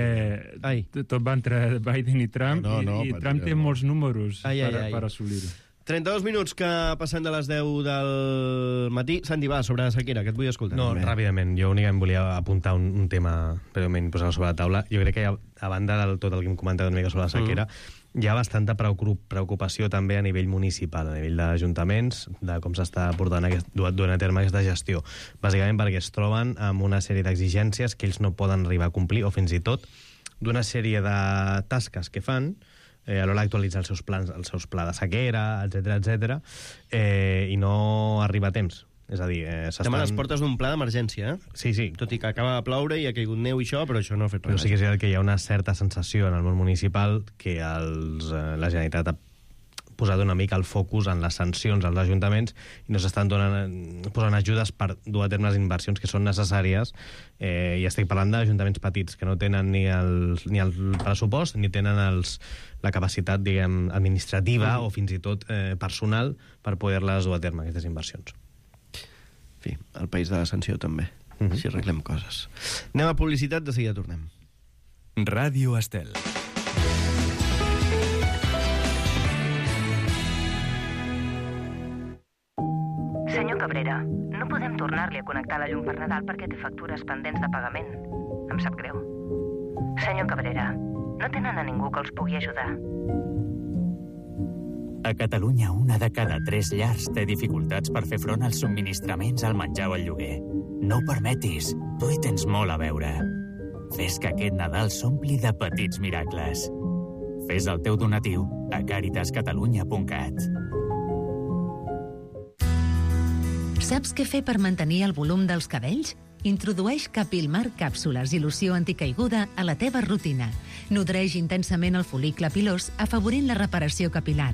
tot va entre Biden i Trump, i Trump té molts números per assolir-ho. 32 minuts que passen de les 10 del matí. Santi, va, sobre la sequera, que et vull escoltar. No, ràpidament. Jo únicament volia apuntar un tema, breument, posar-lo sobre la taula. Jo crec que a banda de tot el que hem comentat una mica sobre la sequera, hi ha bastanta preocupació també a nivell municipal, a nivell d'ajuntaments, de com s'està duent a terme aquesta gestió. Bàsicament perquè es troben amb una sèrie d'exigències que ells no poden arribar a complir, o fins i tot d'una sèrie de tasques que fan a l'hora d'actualitzar els seus plans, el seu pla de sequera, etc, i no arriba a temps. És a dir, estem a les portes d'un pla d'emergència, Sí. Tot i que acaba de ploure i ha caigut neu i això, però això no ha fet res. Però sí que és veritat que hi ha una certa sensació en el món municipal que la Generalitat ha posat una mica el focus en les sancions als ajuntaments i no s'estan posant ajudes per dur a terme les inversions que són necessàries, i estic parlant d'ajuntaments petits que no tenen ni el pressupost ni tenen la capacitat, diguem, administrativa o fins i tot personal per poder-les dur a terme, aquestes inversions. En fi, el país de la sanció també, si arreglem coses. Anem a publicitat, de seguida tornem. Ràdio Estel. Senyor Cabrera, no podem tornar-li a connectar la llum per Nadal perquè té factures pendents de pagament. Em sap greu. Senyor Cabrera, no tenen a ningú que els pugui ajudar. A Catalunya, 1 de cada 3 llars té dificultats per fer front als subministraments, al menjar o al lloguer. No ho permetis, tu hi tens molt a veure. Fes que aquest Nadal s'ompli de petits miracles. Fes el teu donatiu a caritascatalunya.cat. Saps què fer per mantenir el volum dels cabells? Introdueix Capilmar càpsules i loció anticaiguda a la teva rutina. Nodreix intensament el folicle pilós, afavorint la reparació capilar.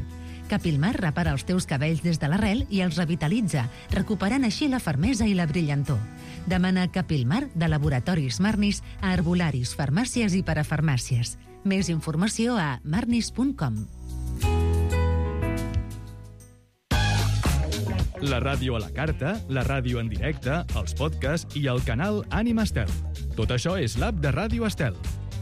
Capilmar repara els teus cabells des de l'arrel i els revitalitza, recuperant així la fermesa i la brillantor. Demana Capilmar de Laboratoris Marnis a herbolaris, farmàcies i parafarmàcies. Més informació a marnis.com. La ràdio a la carta, la ràdio en directe, els podcasts i el canal Ànima Estel. Tot això és l'app de Ràdio Estel.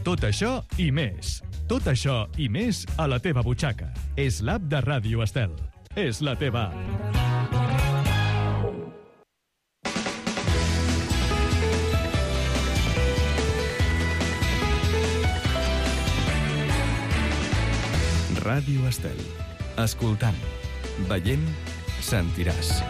Tot això i més. Tot això i més a la teva butxaca. És l'app de Ràdio Estel. És la teva app. Ràdio Estel. Escoltant, veient, sentiràs.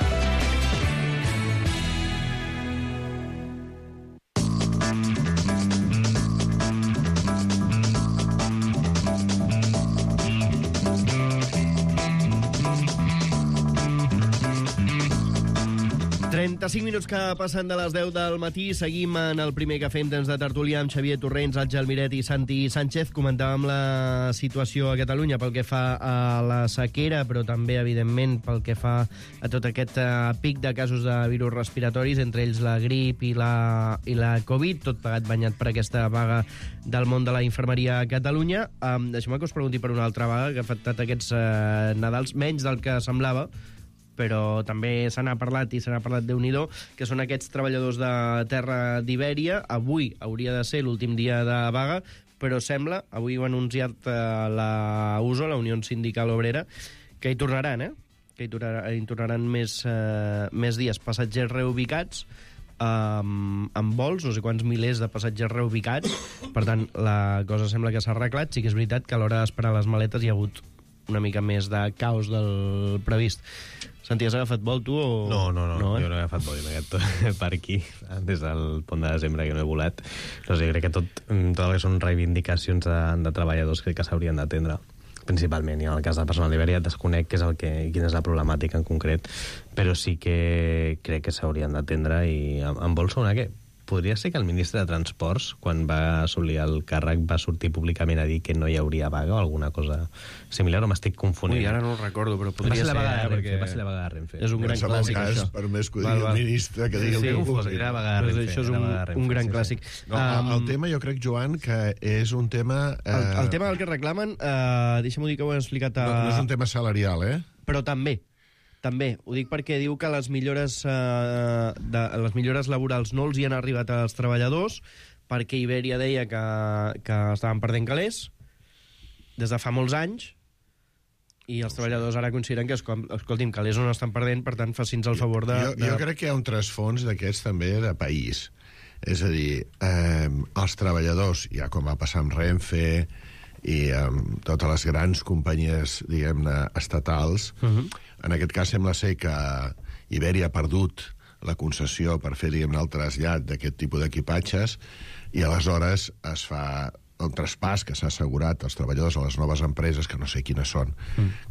Minuts que passen de les 10 del matí, seguim en el primer que fem temps de tertúlia amb Xavier Torrents, Àngel Miret i Santi Sánchez. Comentàvem la situació a Catalunya pel que fa a la sequera, però també, evidentment, pel que fa a tot aquest pic de casos de virus respiratoris, entre ells la grip i la Covid, tot plegat banyat per aquesta vaga del món de la infermeria a Catalunya. Deixeu-me que us pregunti per una altra vaga que ha afectat aquests Nadals, menys del que semblava, però també se n'ha parlat i se n'ha parlat Déu-n'hi-do, que són aquests treballadors de terra d'Ibèria. Avui hauria de ser l'últim dia de vaga, però sembla, avui ho ha anunciat la USO, la Unió Sindical Obrera, que hi tornaran, que hi tornaran més dies. Passatgers reubicats, amb vols, no sé quants milers de passatgers reubicats. Per tant, la cosa sembla que s'ha arreglat. Sí que és veritat que a l'hora d'esperar les maletes hi ha hagut una mica més de caos del previst. Santi, has agafat vol, tu? O... No, jo no he agafat vol, he agafat per aquí, des del pont de desembre, que no he volat. No sé, crec que tot el que són reivindicacions de treballadors crec que s'haurien d'atendre, principalment. I en el cas del personal d'Ibèria desconec quina és la problemàtica en concret, però sí que crec que s'haurien d'atendre. I en vol sonar que podria ser que el ministre de Transports, quan va assolir el càrrec, va sortir públicament a dir que no hi hauria vaga o alguna cosa similar, o m'estic confonent? Ui, ara no ho recordo, però podria ser. Va ser la vaga de Renfe. És un gran clàssic, això. Per més que ho digui el ministre, que digui el que vulgui. Era la vaga de Renfe. Això és un gran clàssic. El tema, jo crec, Joan, que és un tema... El tema del que reclamen, deixa'm-ho dir que ho he explicat... No és un tema salarial, Però també, ho dic perquè diu que les millores laborals no els hi han arribat als treballadors, perquè Ibèria deia que estaven perdent calés des de fa molts anys, i els treballadors ara consideren que, escolti'm, calés no estan perdent, per tant, faci'ns el favor de... Jo crec que hi ha un trasfons d'aquests també de país. És a dir, els treballadors, ja com va passar amb Renfe i amb totes les grans companyies, diguem-ne, estatals, en aquest cas sembla ser que Ibèria ha perdut la concessió per fer, diguem-ne, el trasllat d'aquest tipus d'equipatges, i aleshores es fa el traspàs que s'ha assegurat als treballadors a les noves empreses, que no sé quines són,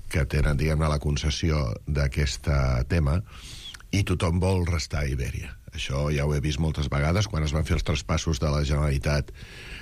que tenen, diguem-ne, la concessió d'aquest tema, i tothom vol restar a Ibèria. Això ja ho he vist moltes vegades, quan es van fer els traspassos de la Generalitat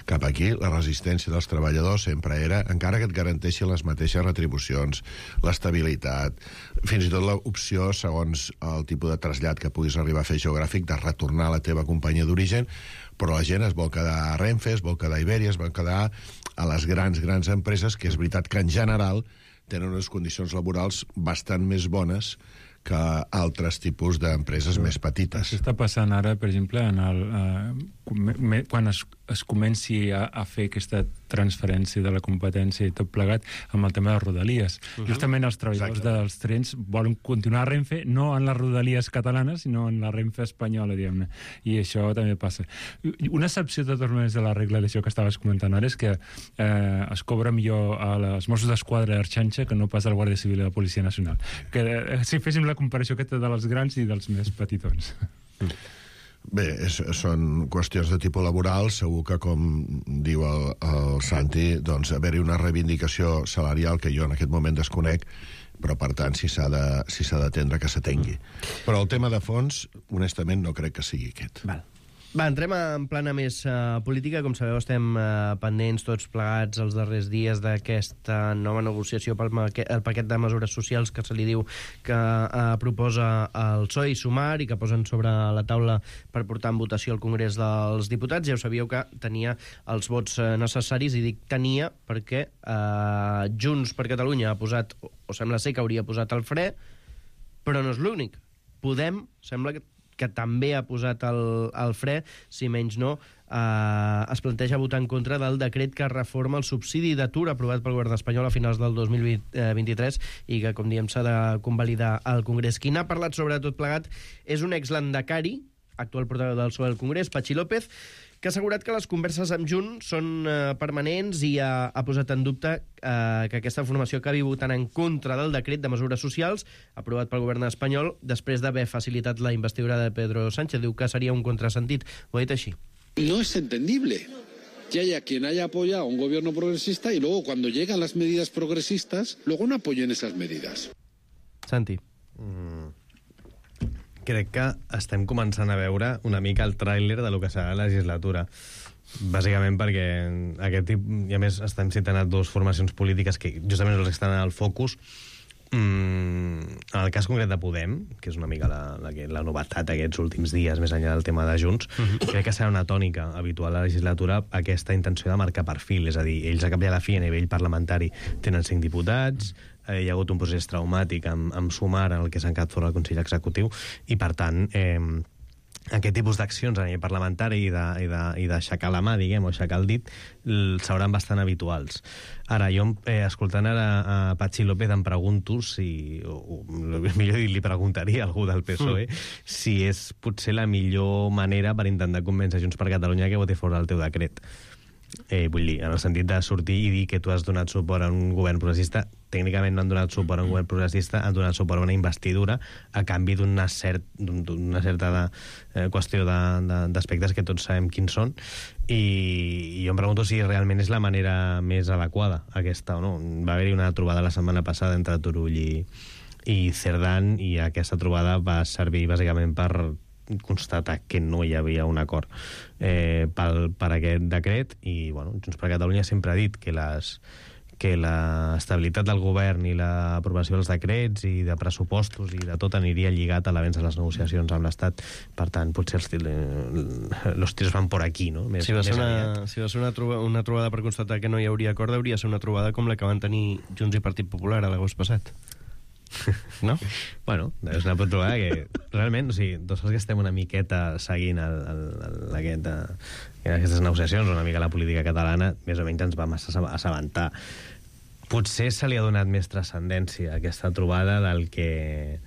cap aquí, la resistència dels treballadors sempre era, encara que et garanteixin les mateixes retribucions, l'estabilitat, fins i tot l'opció, segons el tipus de trasllat que puguis arribar a fer geogràfic, de retornar a la teva companyia d'origen, però la gent es vol quedar a Renfe, es vol quedar a Ibèria, es vol quedar a les grans empreses, que és veritat que en general tenen unes condicions laborals bastant més bones que altres tipus d'empreses més petites. Això està passant ara, per exemple, quan es comenci a fer aquesta transferència de la competència i tot plegat amb el tema de Rodalies. Justament els treballadors dels trens volen continuar a Renfe, no en les Rodalies catalanes, sinó en la Renfe espanyola, diguem-ne. I això també passa. Una excepció, de totes maneres, de la regla d'això que estaves comentant ara és que es cobra millor a les Mossos d'Esquadra d'Arxanxa que no pas al Guàrdia Civil i a la Policia Nacional. Que si féssim la comparació aquesta de les grans i dels més petitons. Bé, són qüestions de tipus laboral. Segur que, com diu el Santi, doncs haver-hi una reivindicació salarial que jo en aquest moment desconec, però per tant si s'ha d'atendre que s'atengui. Però el tema de fons, honestament, no crec que sigui aquest. Val. Va, entrem en plana més política. Com sabeu, estem pendents tots plegats els darrers dies d'aquesta nova negociació pel paquet de mesures socials que se li diu que proposa el PSOE i Sumar i que posen sobre la taula per portar en votació al Congrés dels Diputats. Ja ho sabíeu que tenia els vots necessaris, i dic tenia perquè Junts per Catalunya ha posat, o sembla ser que hauria posat el fre, però no és l'únic. Podem, sembla que també ha posat el fre, si menys no, es planteja votar en contra del decret que reforma el subsidi d'atur aprovat pel govern espanyol a finals del 2023 i que, com diem, s'ha de convalidar al Congrés. Qui n'ha parlat sobre tot plegat és un exlandacari, actual portaveu del PSOE al Congrés, Patxi López, que ha assegurat que les converses amb Junts són permanents i ha posat en dubte que aquesta formació acabi votant en contra del decret de mesures socials aprovat pel govern espanyol després d'haver facilitat la investidura de Pedro Sánchez. Diu que seria un contrasentit. Ho ha dit així. No es entendible que haya quien haya apoyado un gobierno progresista y luego cuando llegan las medidas progresistas, luego no apoyen esas medidas. Santi. Crec que estem començant a veure una mica el tràiler de lo que serà la legislatura. Bàsicament perquè aquest tipus, i a més estem citant a dues formacions polítiques que justament els que estan al focus. En el cas concret de Podem, que és una mica la novetat aquests últims dies, més enllà del tema de Junts, crec que serà una tònica habitual a la legislatura aquesta intenció de marcar perfil, és a dir, ells a cap i a la fi a nivell parlamentari tenen 5 diputats, hi ha hagut un procés traumàtic amb Sumar en el que s'han quedat fora del Consell Executiu i, per tant, aquest tipus d'accions a nivell parlamentari i d'aixecar la mà, diguem, o aixecar el dit, seran bastant habituals. Ara, jo, escoltant ara a Patxi López, em pregunto si, o millor li preguntaria a algú del PSOE, si és potser la millor manera per intentar convèncer Junts per Catalunya que voti fora el teu decret. Vull dir, en el sentit de sortir i dir que tu has donat suport a un govern progressista. Tècnicament no han donat suport a un govern progressista, han donat suport a una investidura a canvi d'una certa qüestió d'aspectes que tots sabem quins són, i jo em pregunto si realment és la manera més adequada aquesta o no. Va haver-hi una trobada la setmana passada entre Turull i Cerdán, i aquesta trobada va servir bàsicament per constatar que no hi havia un acord per aquest decret, i bueno, Junts per Catalunya sempre ha dit que l'estabilitat del govern i l'aprovació dels decrets i de pressupostos i de tot aniria lligat a l'avenç de les negociacions amb l'Estat. Per tant, potser els tirs van por aquí, no? Si va ser una trobada per constatar que no hi hauria acord, hauria ser una trobada com la que van tenir Junts i Partit Popular a l'agost passat. No? Bueno, és una trobada que realment, o sigui, tots els que estem una miqueta seguint aquestes negociacions, una mica la política catalana, més o menys ens vam assabentar. Potser se li ha donat més transcendència a aquesta trobada del que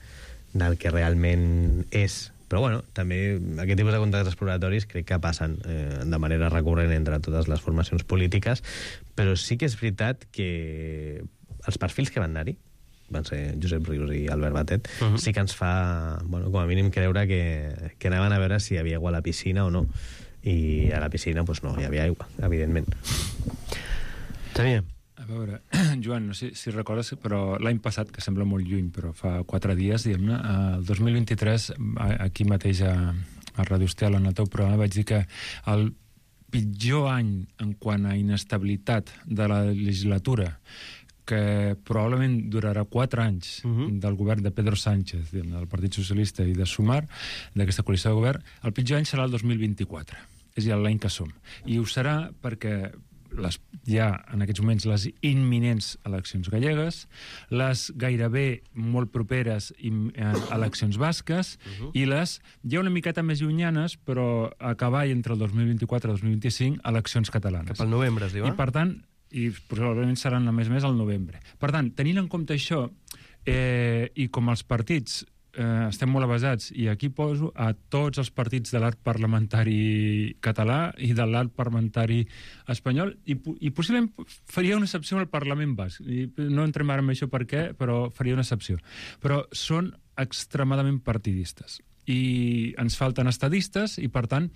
realment és. Però bueno, també aquest tipus de contactes exploratoris crec que passen de manera recurrent entre totes les formacions polítiques, però sí que és veritat que els perfils que van anar-hi van ser Josep Rius i Albert Batet, sí que ens fa, bueno, com a mínim creure que anaven a veure si hi havia aigua a la piscina o no. I a la piscina, doncs no, hi havia aigua, evidentment. Xavier. A veure, Joan, no sé si recordes, però l'any passat, que sembla molt lluny, però fa 4 dies, diguem-ne, el 2023, aquí mateix a Ràdio Estel, en el teu programa, vaig dir que el pitjor any en quant a inestabilitat de la legislatura, que probablement durarà 4 anys del govern de Pedro Sánchez, del Partit Socialista i de Sumar, d'aquesta coalició de govern, el pitjor any serà el 2024, és ja l'any que som. I ho serà perquè hi ha en aquests moments les imminents eleccions gallegues, les gairebé molt properes eleccions basques, i les ja una miqueta més llunyanes, però a cavall entre el 2024 i el 2025, eleccions catalanes. Cap al novembre, es diu, I per tant, i probablement seran a més al novembre. Per tant, tenint en compte això, i com els partits estem molt avasats, i aquí poso a tots els partits de l'arc parlamentari català i de l'arc parlamentari espanyol, i possiblement faria una excepció al Parlament basc. No entrem ara en això per què, però faria una excepció. Però són extremadament partidistes. I ens falten estadistes, i per tant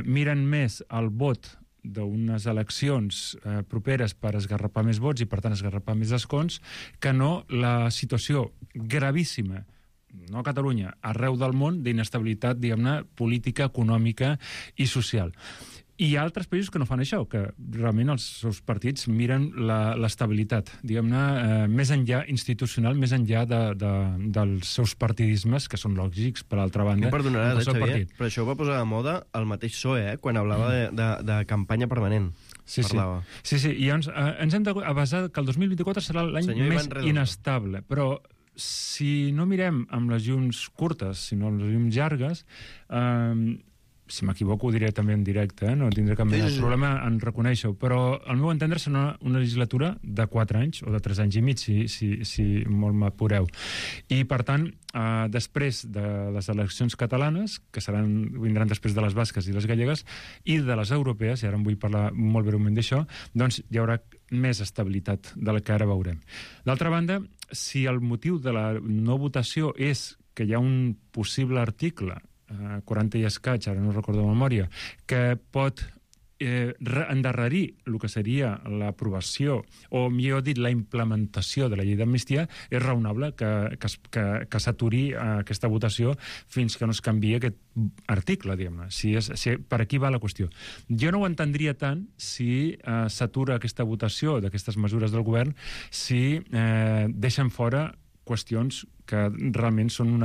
miren més el vot d'unes eleccions properes per esgarrapar més vots i, per tant, esgarrapar més escons, que no la situació gravíssima no a Catalunya, arreu del món, d'inestabilitat, diguem-ne, política, econòmica i social. I hi ha altres països que no fan això, que realment els seus partits miren l'estabilitat, diguem-ne, més enllà institucional, més enllà dels seus partidismes, que són lògics, per altra banda. Em perdonaràs, Xavier, però això ho va posar de moda el mateix PSOE, quan hablava de campanya permanent. Sí, i llavors ens hem de basar que el 2024 serà l'any més inestable, però si no mirem amb les llums curtes, sinó amb les llums llargues, si m'equivoco ho diré també en directe, no tindré cap mena de problema en reconèixer-ho, però al meu entendre serà una legislatura de 4 anys o de 3 anys i mig, si molt m'apureu. I, per tant, després de les eleccions catalanes, que vindran després de les basques i les gallegues, i de les europees, i ara en vull parlar molt breument d'això, doncs hi haurà més estabilitat de la que ara veurem. D'altra banda, si el motiu de la no votació és que hi ha un possible article 40 i escaig, ara no recordo de memòria, que pot endarrerir el que seria l'aprovació, o millor dit, la implementació de la llei d'amnistia, és raonable que s'aturi aquesta votació fins que no es canvia aquest article, diguem-ne. Per aquí va la qüestió. Jo no ho entendria tant si s'atura aquesta votació d'aquestes mesures del govern, si deixen fora qüestions que realment són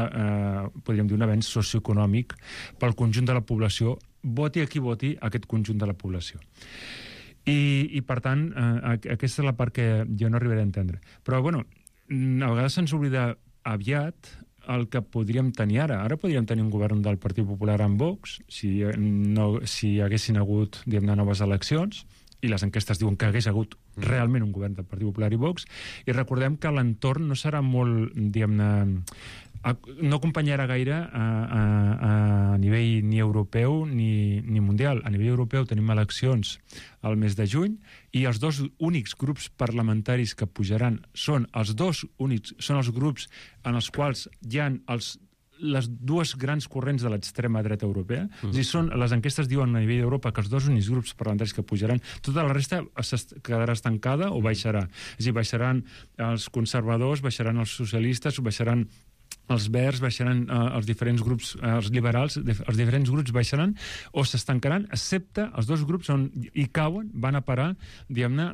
podríem dir, un avenç socioeconòmic pel conjunt de la població, voti a qui voti aquest conjunt de la població. I per tant, aquesta és la part que jo no arribaré a entendre. Però, bueno, a vegades se'ns oblida aviat el que podríem tenir ara. Ara podríem tenir un govern del Partit Popular amb Vox, si haguessin hagut, diguem-ne, noves eleccions, i les enquestes diuen que hagués hagut realment un govern del Partit Popular i Vox, i recordem que l'entorn no serà molt, diguem-ne, no acompanyarà gaire a nivell ni europeu ni mundial. A nivell europeu tenim eleccions al mes de juny i els dos únics grups parlamentaris que pujaran són els grups en els quals hi ha les dues grans corrents de l'extrema dreta europea. És a dir, les enquestes diuen a nivell d'Europa que els dos únics grups parlamentaris que pujaran, tota la resta quedarà estancada o baixarà. És a dir, baixaran els conservadors, baixaran els socialistes, baixaran els verds, baixaran els diferents grups, els liberals, els diferents grups baixaran o s'estancaran, excepte els dos grups on hi cauen, van a parar, diguem-ne,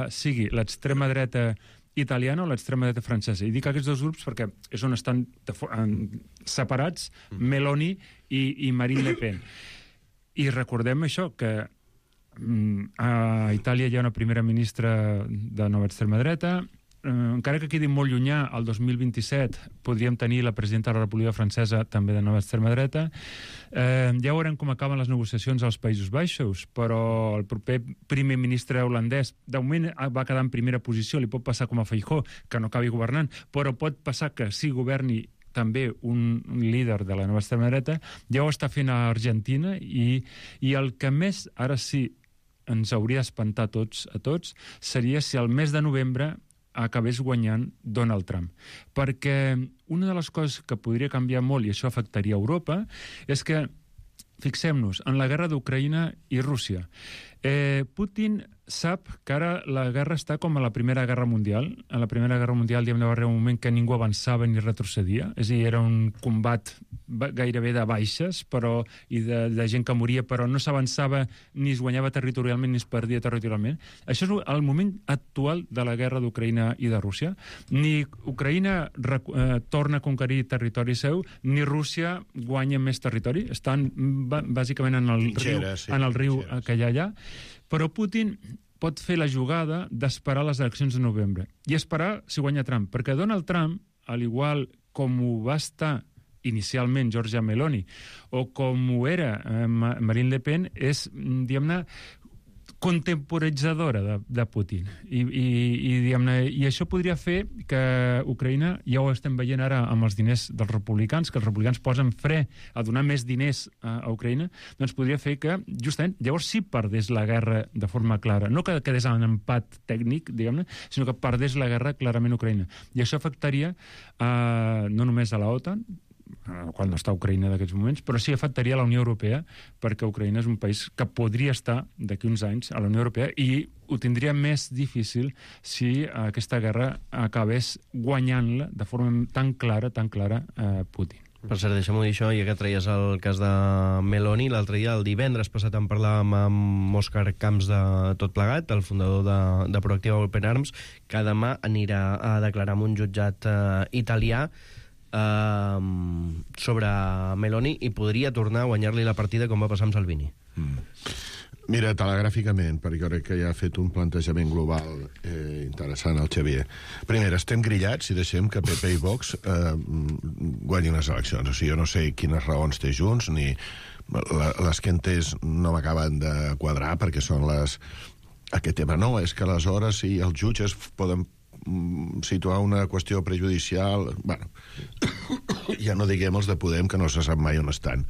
sigui l'extrema dreta italiana o l'extrema dreta francesa. I dic aquests dos grups perquè és on estan separats Meloni i Marine Le Pen. I recordem això, que a Itàlia hi ha una primera ministra de nova extrema dreta, encara que quedi molt llunyà, el 2027 podríem tenir la presidenta de la República Francesa també de nova extrema dreta. Ja veurem com acaben les negociacions als Països Baixos, però el proper primer ministre holandès de moment va quedar en primera posició, li pot passar com a Feijóo, que no acabi governant, però pot passar que sí governi també un líder de la nova extrema dreta. Ja ho està fent a Argentina i el que més, ara sí, ens hauria d'espantar a tots, seria si el mes de novembre acabés guanyant Donald Trump. Perquè una de les coses que podria canviar molt, i això afectaria Europa, és que, fixem-nos, en la guerra d'Ucraïna i Rússia, Putin sap que ara la guerra està com a la Primera Guerra Mundial. A la Primera Guerra Mundial va haver un moment que ningú avançava ni retrocedia, és a dir, era un combat gairebé de baixes i de gent que moria, però no s'avançava ni es guanyava territorialment ni es perdia territorialment. Això és el moment actual de la guerra d'Ucraïna i de Rússia. Ni Ucraïna torna a conquerir territori seu, ni Rússia guanya més territori. Estan bàsicament en el riu que hi ha allà. Però Putin pot fer la jugada d'esperar les eleccions de novembre. I esperar si guanya Trump. Perquè Donald Trump, al igual com ho va estar inicialment Giorgia Meloni, o com ho era Marine Le Pen, és, diguem-ne, contemporitzadora de Putin. I això podria fer que Ucraïna, ja ho estem veient ara amb els diners dels republicans, que els republicans posen fre a donar més diners a Ucraïna, doncs podria fer que, justament, llavors sí perdés la guerra de forma clara. No que quedés en empat tècnic, diguem-ne, sinó que perdés la guerra clarament a Ucraïna. I això afectaria no només a la OTAN, qual no està Ucraïna d'aquests moments, però sí afectaria la Unió Europea, perquè Ucraïna és un país que podria estar d'aquí uns anys a la Unió Europea i ho tindria més difícil si aquesta guerra acabés guanyant-la de forma tan clara Putin. Per cert, deixa'm-ho dir això, ja que treies el cas de Meloni, l'altre dia, el divendres passat, en parlàvem amb Òscar Camps de Tot Plegat, el fundador de Proactiva Open Arms, que demà anirà a declarar en un jutjat italià sobre Meloni i podria tornar a guanyar-li la partida com va passar amb Salvini. Mira, telegràficament, perquè jo crec que ja ha fet un plantejament global interessant el Xavier. Primer, estem grillats si deixem que PP i Vox guanyin les eleccions. O sigui, jo no sé quines raons té Junts, ni les que entès no m'acaben de quadrar, perquè són les... Aquest tema no, és que aleshores si els jutges poden situar una qüestió prejudicial... Bueno, ja no diguem els de Podem, que no se sap mai on estan.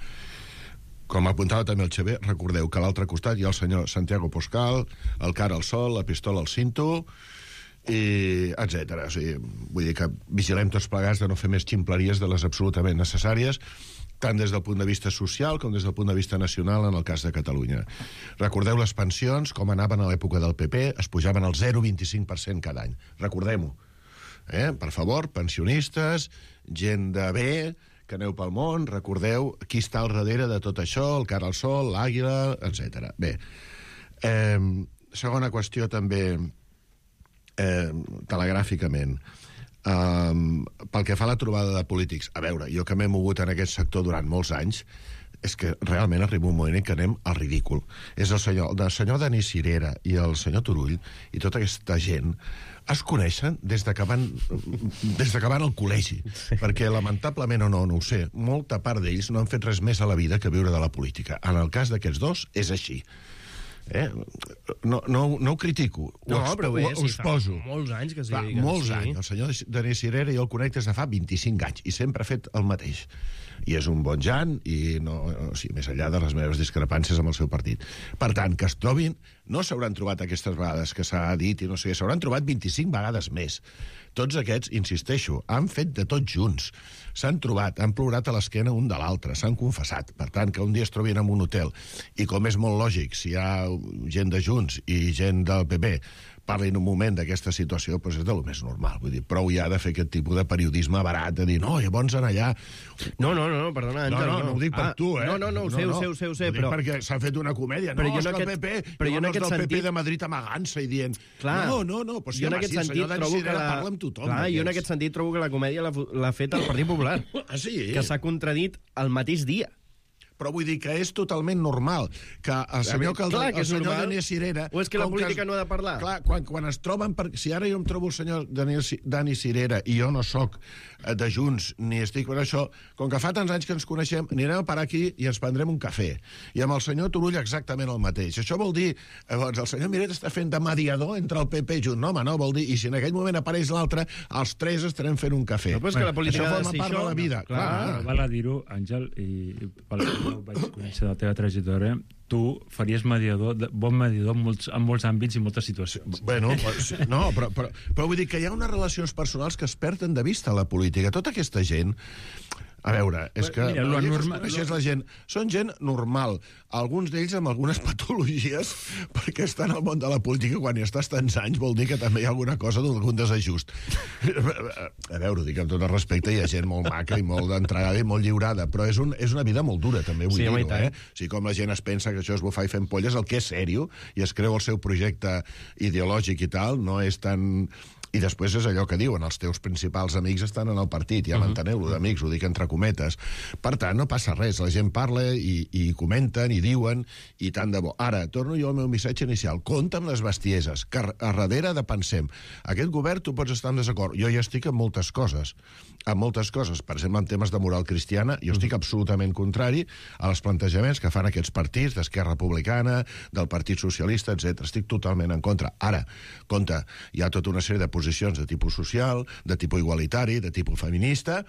Com apuntava també el Xavier, recordeu que a l'altre costat hi ha el senyor Santiago Poscal, el cara al sol, la pistola al cinto, i etc. O sigui, vull dir que vigilem tots plegats de no fer més ximpleries de les absolutament necessàries, tant des del punt de vista social com des del punt de vista nacional en el cas de Catalunya. Recordeu les pensions, com anaven a l'època del PP, es pujaven al 0,25% cada any. Recordem-ho. Per favor, pensionistes, gent de bé, que aneu pel món, recordeu qui està al darrere de tot això, el cara al sol, l'àguila, etc. Bé, segona qüestió també, telegràficament, pel que fa a la trobada de polítics. A veure, jo que m'he mogut en aquest sector durant molts anys, és que realment arriba un moment en què anem al ridícul. És el senyor Denis Cirera i el senyor Turull i tota aquesta gent es coneixen des de que van al col·legi, perquè lamentablement o no ho sé, molta part d'ells no han fet res més a la vida que viure de la política. En el cas d'aquests dos és així. No ho critico, ho exposo. Molts anys que sí. Molts anys. El senyor Denis Cirera jo el conec des de fa 25 anys i sempre ha fet el mateix. I és un bon jan, i més enllà de les meves discrepàncies amb el seu partit. Per tant, que es trobin, no s'hauran trobat aquestes vegades que s'ha dit, i no sé, s'hauran trobat 25 vegades més. Tots aquests, insisteixo, han fet de tots junts. S'han trobat, han plorat a l'esquena un de l'altre, s'han confessat. Per tant, que un dia es trobin en un hotel, i com és molt lògic, si hi ha gent de Junts i gent del PP parlin un moment d'aquesta situació, doncs és de lo més normal. Vull dir, prou ja de fer aquest tipus de periodisme barat, de dir, no, llavors en allà... No, perdona, Àngel. No ho dic per tu, No, ho sé, però... Perquè s'ha fet una comèdia. No, és que el PP, llavors del PP de Madrid amagant-se i dient... No, doncs sí, home, sí, el senyor Dani Cirera parla amb tothom. Clar, jo en aquest sentit trobo que la comèdia l'ha fet el Partit Popular. Ah, sí? Que s'ha contradit el mateix dia. Però vull dir que és totalment normal que el senyor Denis Cirera... O és que la política no ha de parlar? Clar, quan es troben... Si ara jo em trobo el senyor Dani Cirera i jo no sóc de Junts ni estic per això, com que fa tants anys que ens coneixem, anirem a parar aquí i ens prendrem un cafè. I amb el senyor Turull exactament el mateix. Això vol dir... Llavors, el senyor Miret està fent de mediador entre el PP i Junts. No, home, no, vol dir... I si en aquell moment apareix l'altre, els tres estarem fent un cafè. No, però és que la política això forma part de la vida. Clar. Val a dir-ho, Àngel, i vaig conèixer la teva trajectòria, tu faries bon mediador en molts àmbits i moltes situacions. Bueno, no, però vull dir que hi ha unes relacions personals que es perden de vista a la política. Tota aquesta gent... A veure, és que la gent, són gent normal, alguns d'ells amb algunes patologies, perquè estan al món de la política quan hi estàs tants anys, vol dir que també hi ha alguna cosa d'algun desajust. A veure, ho dic amb tot el respecte, hi ha gent molt maca i molt d'entregada i molt lliurada, però és una vida molt dura, també vull dir-ho, O sigui, com la gent es pensa que això és bufar i fent polles, el que és sèrio, i es creu el seu projecte ideològic i tal, no és tan... I després és allò que diuen, els teus principals amics estan en el partit, ja m'enteneu-lo d'amics, ho dic entre cometes. Per tant, no passa res, la gent parla i comenten i diuen, i tant de bo. Ara, torno jo al meu missatge inicial, compta amb les bestieses, que a darrere de pensem, aquest govern tu pots estar en desacord, jo ja estic en moltes coses, per exemple, en temes de moral cristiana, jo estic absolutament contrari als plantejaments que fan aquests partits d'Esquerra Republicana, del Partit Socialista, etc. Estic totalment en contra. Ara, compte, hi ha tota una sèrie de posicions de tipus social, de tipus igualitari, de tipus feminista.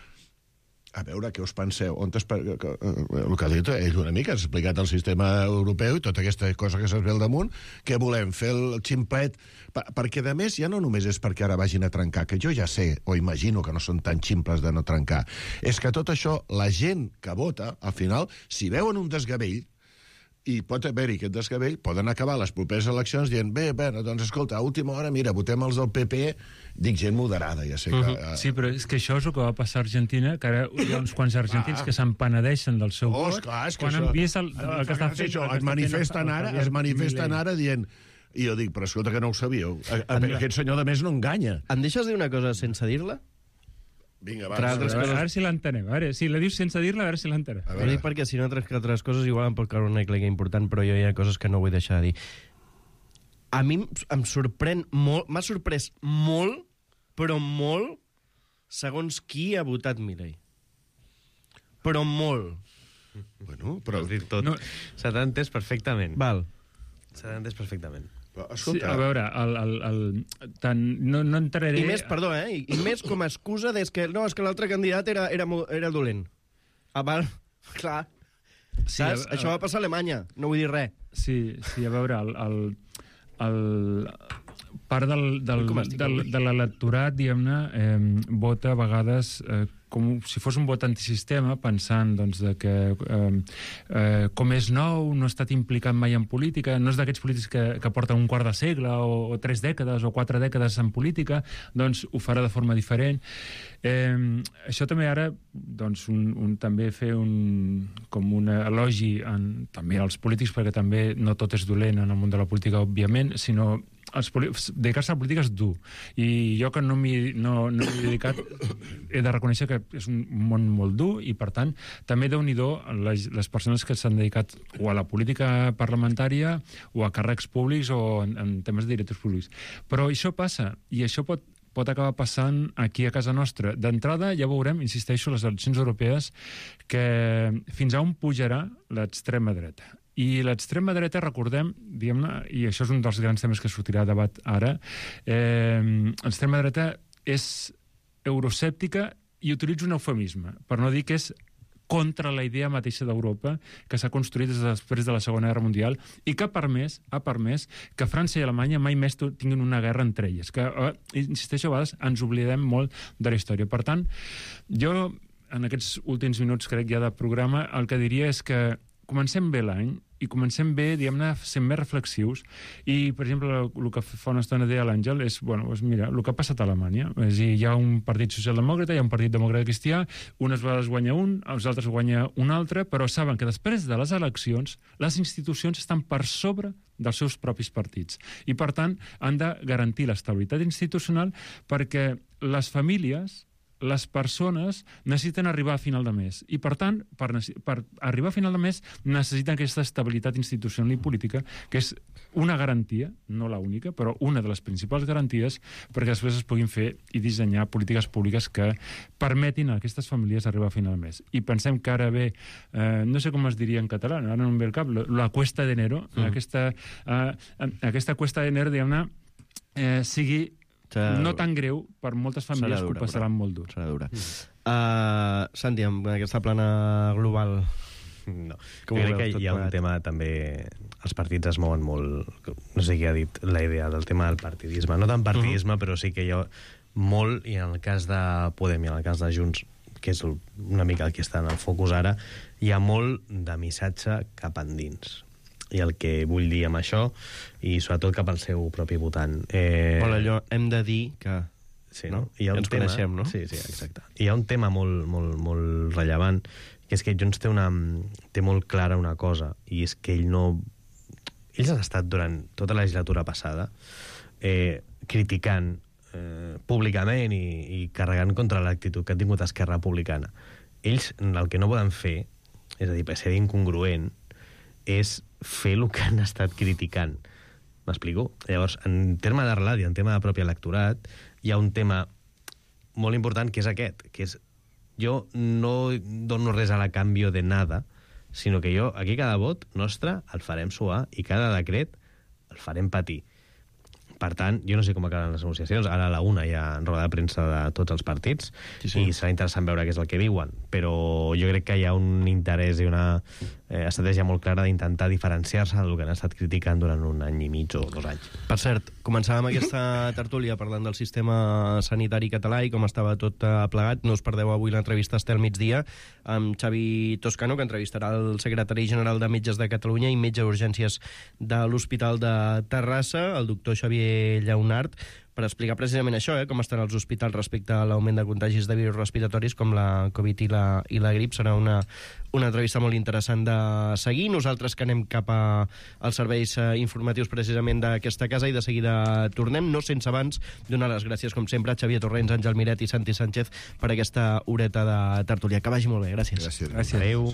a veure, què us penseu? El que ha dit ell una mica, ha explicat el sistema europeu i tota aquesta cosa que se'ns ve al damunt, què volem, fer el ximplet? Perquè, a més, ja no només és perquè ara vagin a trencar, que jo ja sé, o imagino que no són tan ximples de no trencar, és que tot això, la gent que vota, al final, si veuen un desgavell, i pot haver-hi aquest desgavell, poden acabar les properes eleccions dient, bé, doncs escolta, a última hora, mira, votem els del PP, dic gent moderada, ja sé que... Sí, però és que això és el que va passar a Argentina, que ara hi ha uns quants argentins que s'empenedeixen del seu vot, quan han vist el que està fent... Es manifesten ara dient... I jo dic, però escolta, que no ho sabíeu. Aquest senyor, de més, no enganya. Em deixes dir una cosa sense dir-la? Vinga, va. A veure si l'entenem. A veure, si la dius sense dir-la, a veure si l'entenem. Ho dic perquè si no altres coses igual em pot caure una clega important, però jo hi ha coses que no vull deixar de dir. A mi em sorprèn molt, m'ha sorprès molt, però molt, segons qui ha votat Milei. Però molt. Bueno, però... Has dit tot. No. Se t'ha entès perfectament. Val. Se t'ha entès perfectament. Sí, a veure, no entraré... I més, perdó, i més com a excusa és que l'altre candidat era dolent. Val, clar. Sí, saps? Això va passar a Alemanya, no vull dir res. Sí, a veure, part de l'electorat, diguem-ne, vota a vegades com si fos un vot antisistema, pensant doncs, que com és nou, no ha estat implicat mai en política, no és d'aquests polítics que porten un quart de segle o 3 dècades o 4 dècades en política, doncs ho farà de forma diferent. Això també ara, doncs, també fer com un elogi també als polítics, perquè també no tot és dolent en el món de la política, òbviament, sinó dedicar-se a la política és dur, i jo que no m'hi he dedicat he de reconèixer que és un món molt dur, i per tant també déu-n'hi-do les persones que s'han dedicat o a la política parlamentària o a càrrecs públics o en temes de directors públics, però això passa, i això pot acabar passant aquí a casa nostra. D'entrada ja veurem, insisteixo, les eleccions europees, que fins a on pujarà l'extrema dreta. I l'extrema dreta, recordem, diguem-ne, i això és un dels grans temes que sortirà a debat ara, l'extrema dreta és euroscèptica i utilitza un eufemisme, per no dir que és contra la idea mateixa d'Europa que s'ha construït després de la Segona Guerra Mundial i que ha permès que França i Alemanya mai més tinguin una guerra entre elles. Que, insisteixo, a vegades ens oblidem molt de la història. Per tant, jo, en aquests últims minuts, crec ja de programa, el que diria és que comencem bé l'any i comencem bé, diguem-ne, sent més reflexius. I, per exemple, el que fa una estona deia l'Àngel és, mira, el que ha passat a Alemanya. És a dir, hi ha un partit socialdemòcrata, hi ha un partit demòcrata cristià, unes vegades guanya un, els altres guanya un altre, però saben que després de les eleccions les institucions estan per sobre dels seus propis partits. I, per tant, han de garantir l'estabilitat institucional perquè les famílies, les persones necessiten arribar a final de mes i, per tant, per arribar a final de mes necessiten aquesta estabilitat institucional i política, que és una garantia, no la única, però una de les principals garanties perquè després es puguin fer i dissenyar polítiques públiques que permetin a aquestes famílies arribar a final de mes. I pensem que ara ve, no sé com es diria en català, ara no em ve el cap, la cuesta d'enero, aquesta cuesta d'enero, diguem-ne, sigui no tan greu per moltes famílies que ho passaran molt dur. Serà dura. Santi, amb aquesta plana global... No, jo crec que hi ha un tema també... Els partits es mouen molt... No sé qui ha dit la idea del tema del partidisme. No tant partidisme, però sí que hi ha molt, i en el cas de Podem i en el cas de Junts, que és una mica el que està en el focus ara, hi ha molt de missatge cap endins. I el que vull dir amb això, i sobretot cap al seu propi votant. Allò, hem de dir que... Sí, no? Hi ha un tema, coneixem, no? Sí, exacte. Hi ha un tema molt rellevant, que és que Junts té molt clara una cosa, i és que ells han estat durant tota la legislatura passada criticant públicament i carregant contra l'actitud que ha tingut Esquerra Republicana. Ells el que no poden fer, és a dir, per ser incongruent, és fer el que han estat criticant. M'explico? Llavors, en terme de relat i en tema de propi electorat, hi ha un tema molt important que és aquest, que és jo no dono res a la canvio de nada, sinó que jo, aquí cada vot nostre el farem suar i cada decret el farem patir. Per tant, jo no sé com acaben les negociacions. Ara a la 1 hi ha roda de premsa de tots els partits i serà interessant veure què és el que diuen. Però jo crec que hi ha un interès i una estratègia molt clara d'intentar diferenciar-se del que han estat criticant durant un any i mig o 2 anys. Per cert, començàvem aquesta tertúlia parlant del sistema sanitari català i com estava tot plegat. No us perdeu avui l'entrevista Estel Migdia amb Xavi Toscano, que entrevistarà el secretari general de Metges de Catalunya i metge d'urgències de l'Hospital de Terrassa, el doctor Xavier Lleonart, per explicar precisament això, com estan els hospitals respecte a l'augment de contagis de virus respiratoris com la Covid i la grip. Serà una entrevista molt interessant de seguir. Nosaltres que anem cap als serveis informatius precisament d'aquesta casa i de seguida tornem, no sense abans donar les gràcies, com sempre, a Xavier Torrents, Àngel Miret i Santi Sánchez per aquesta horeta de tertúlia. Que vagi molt bé, gràcies. Gràcies. Adéu.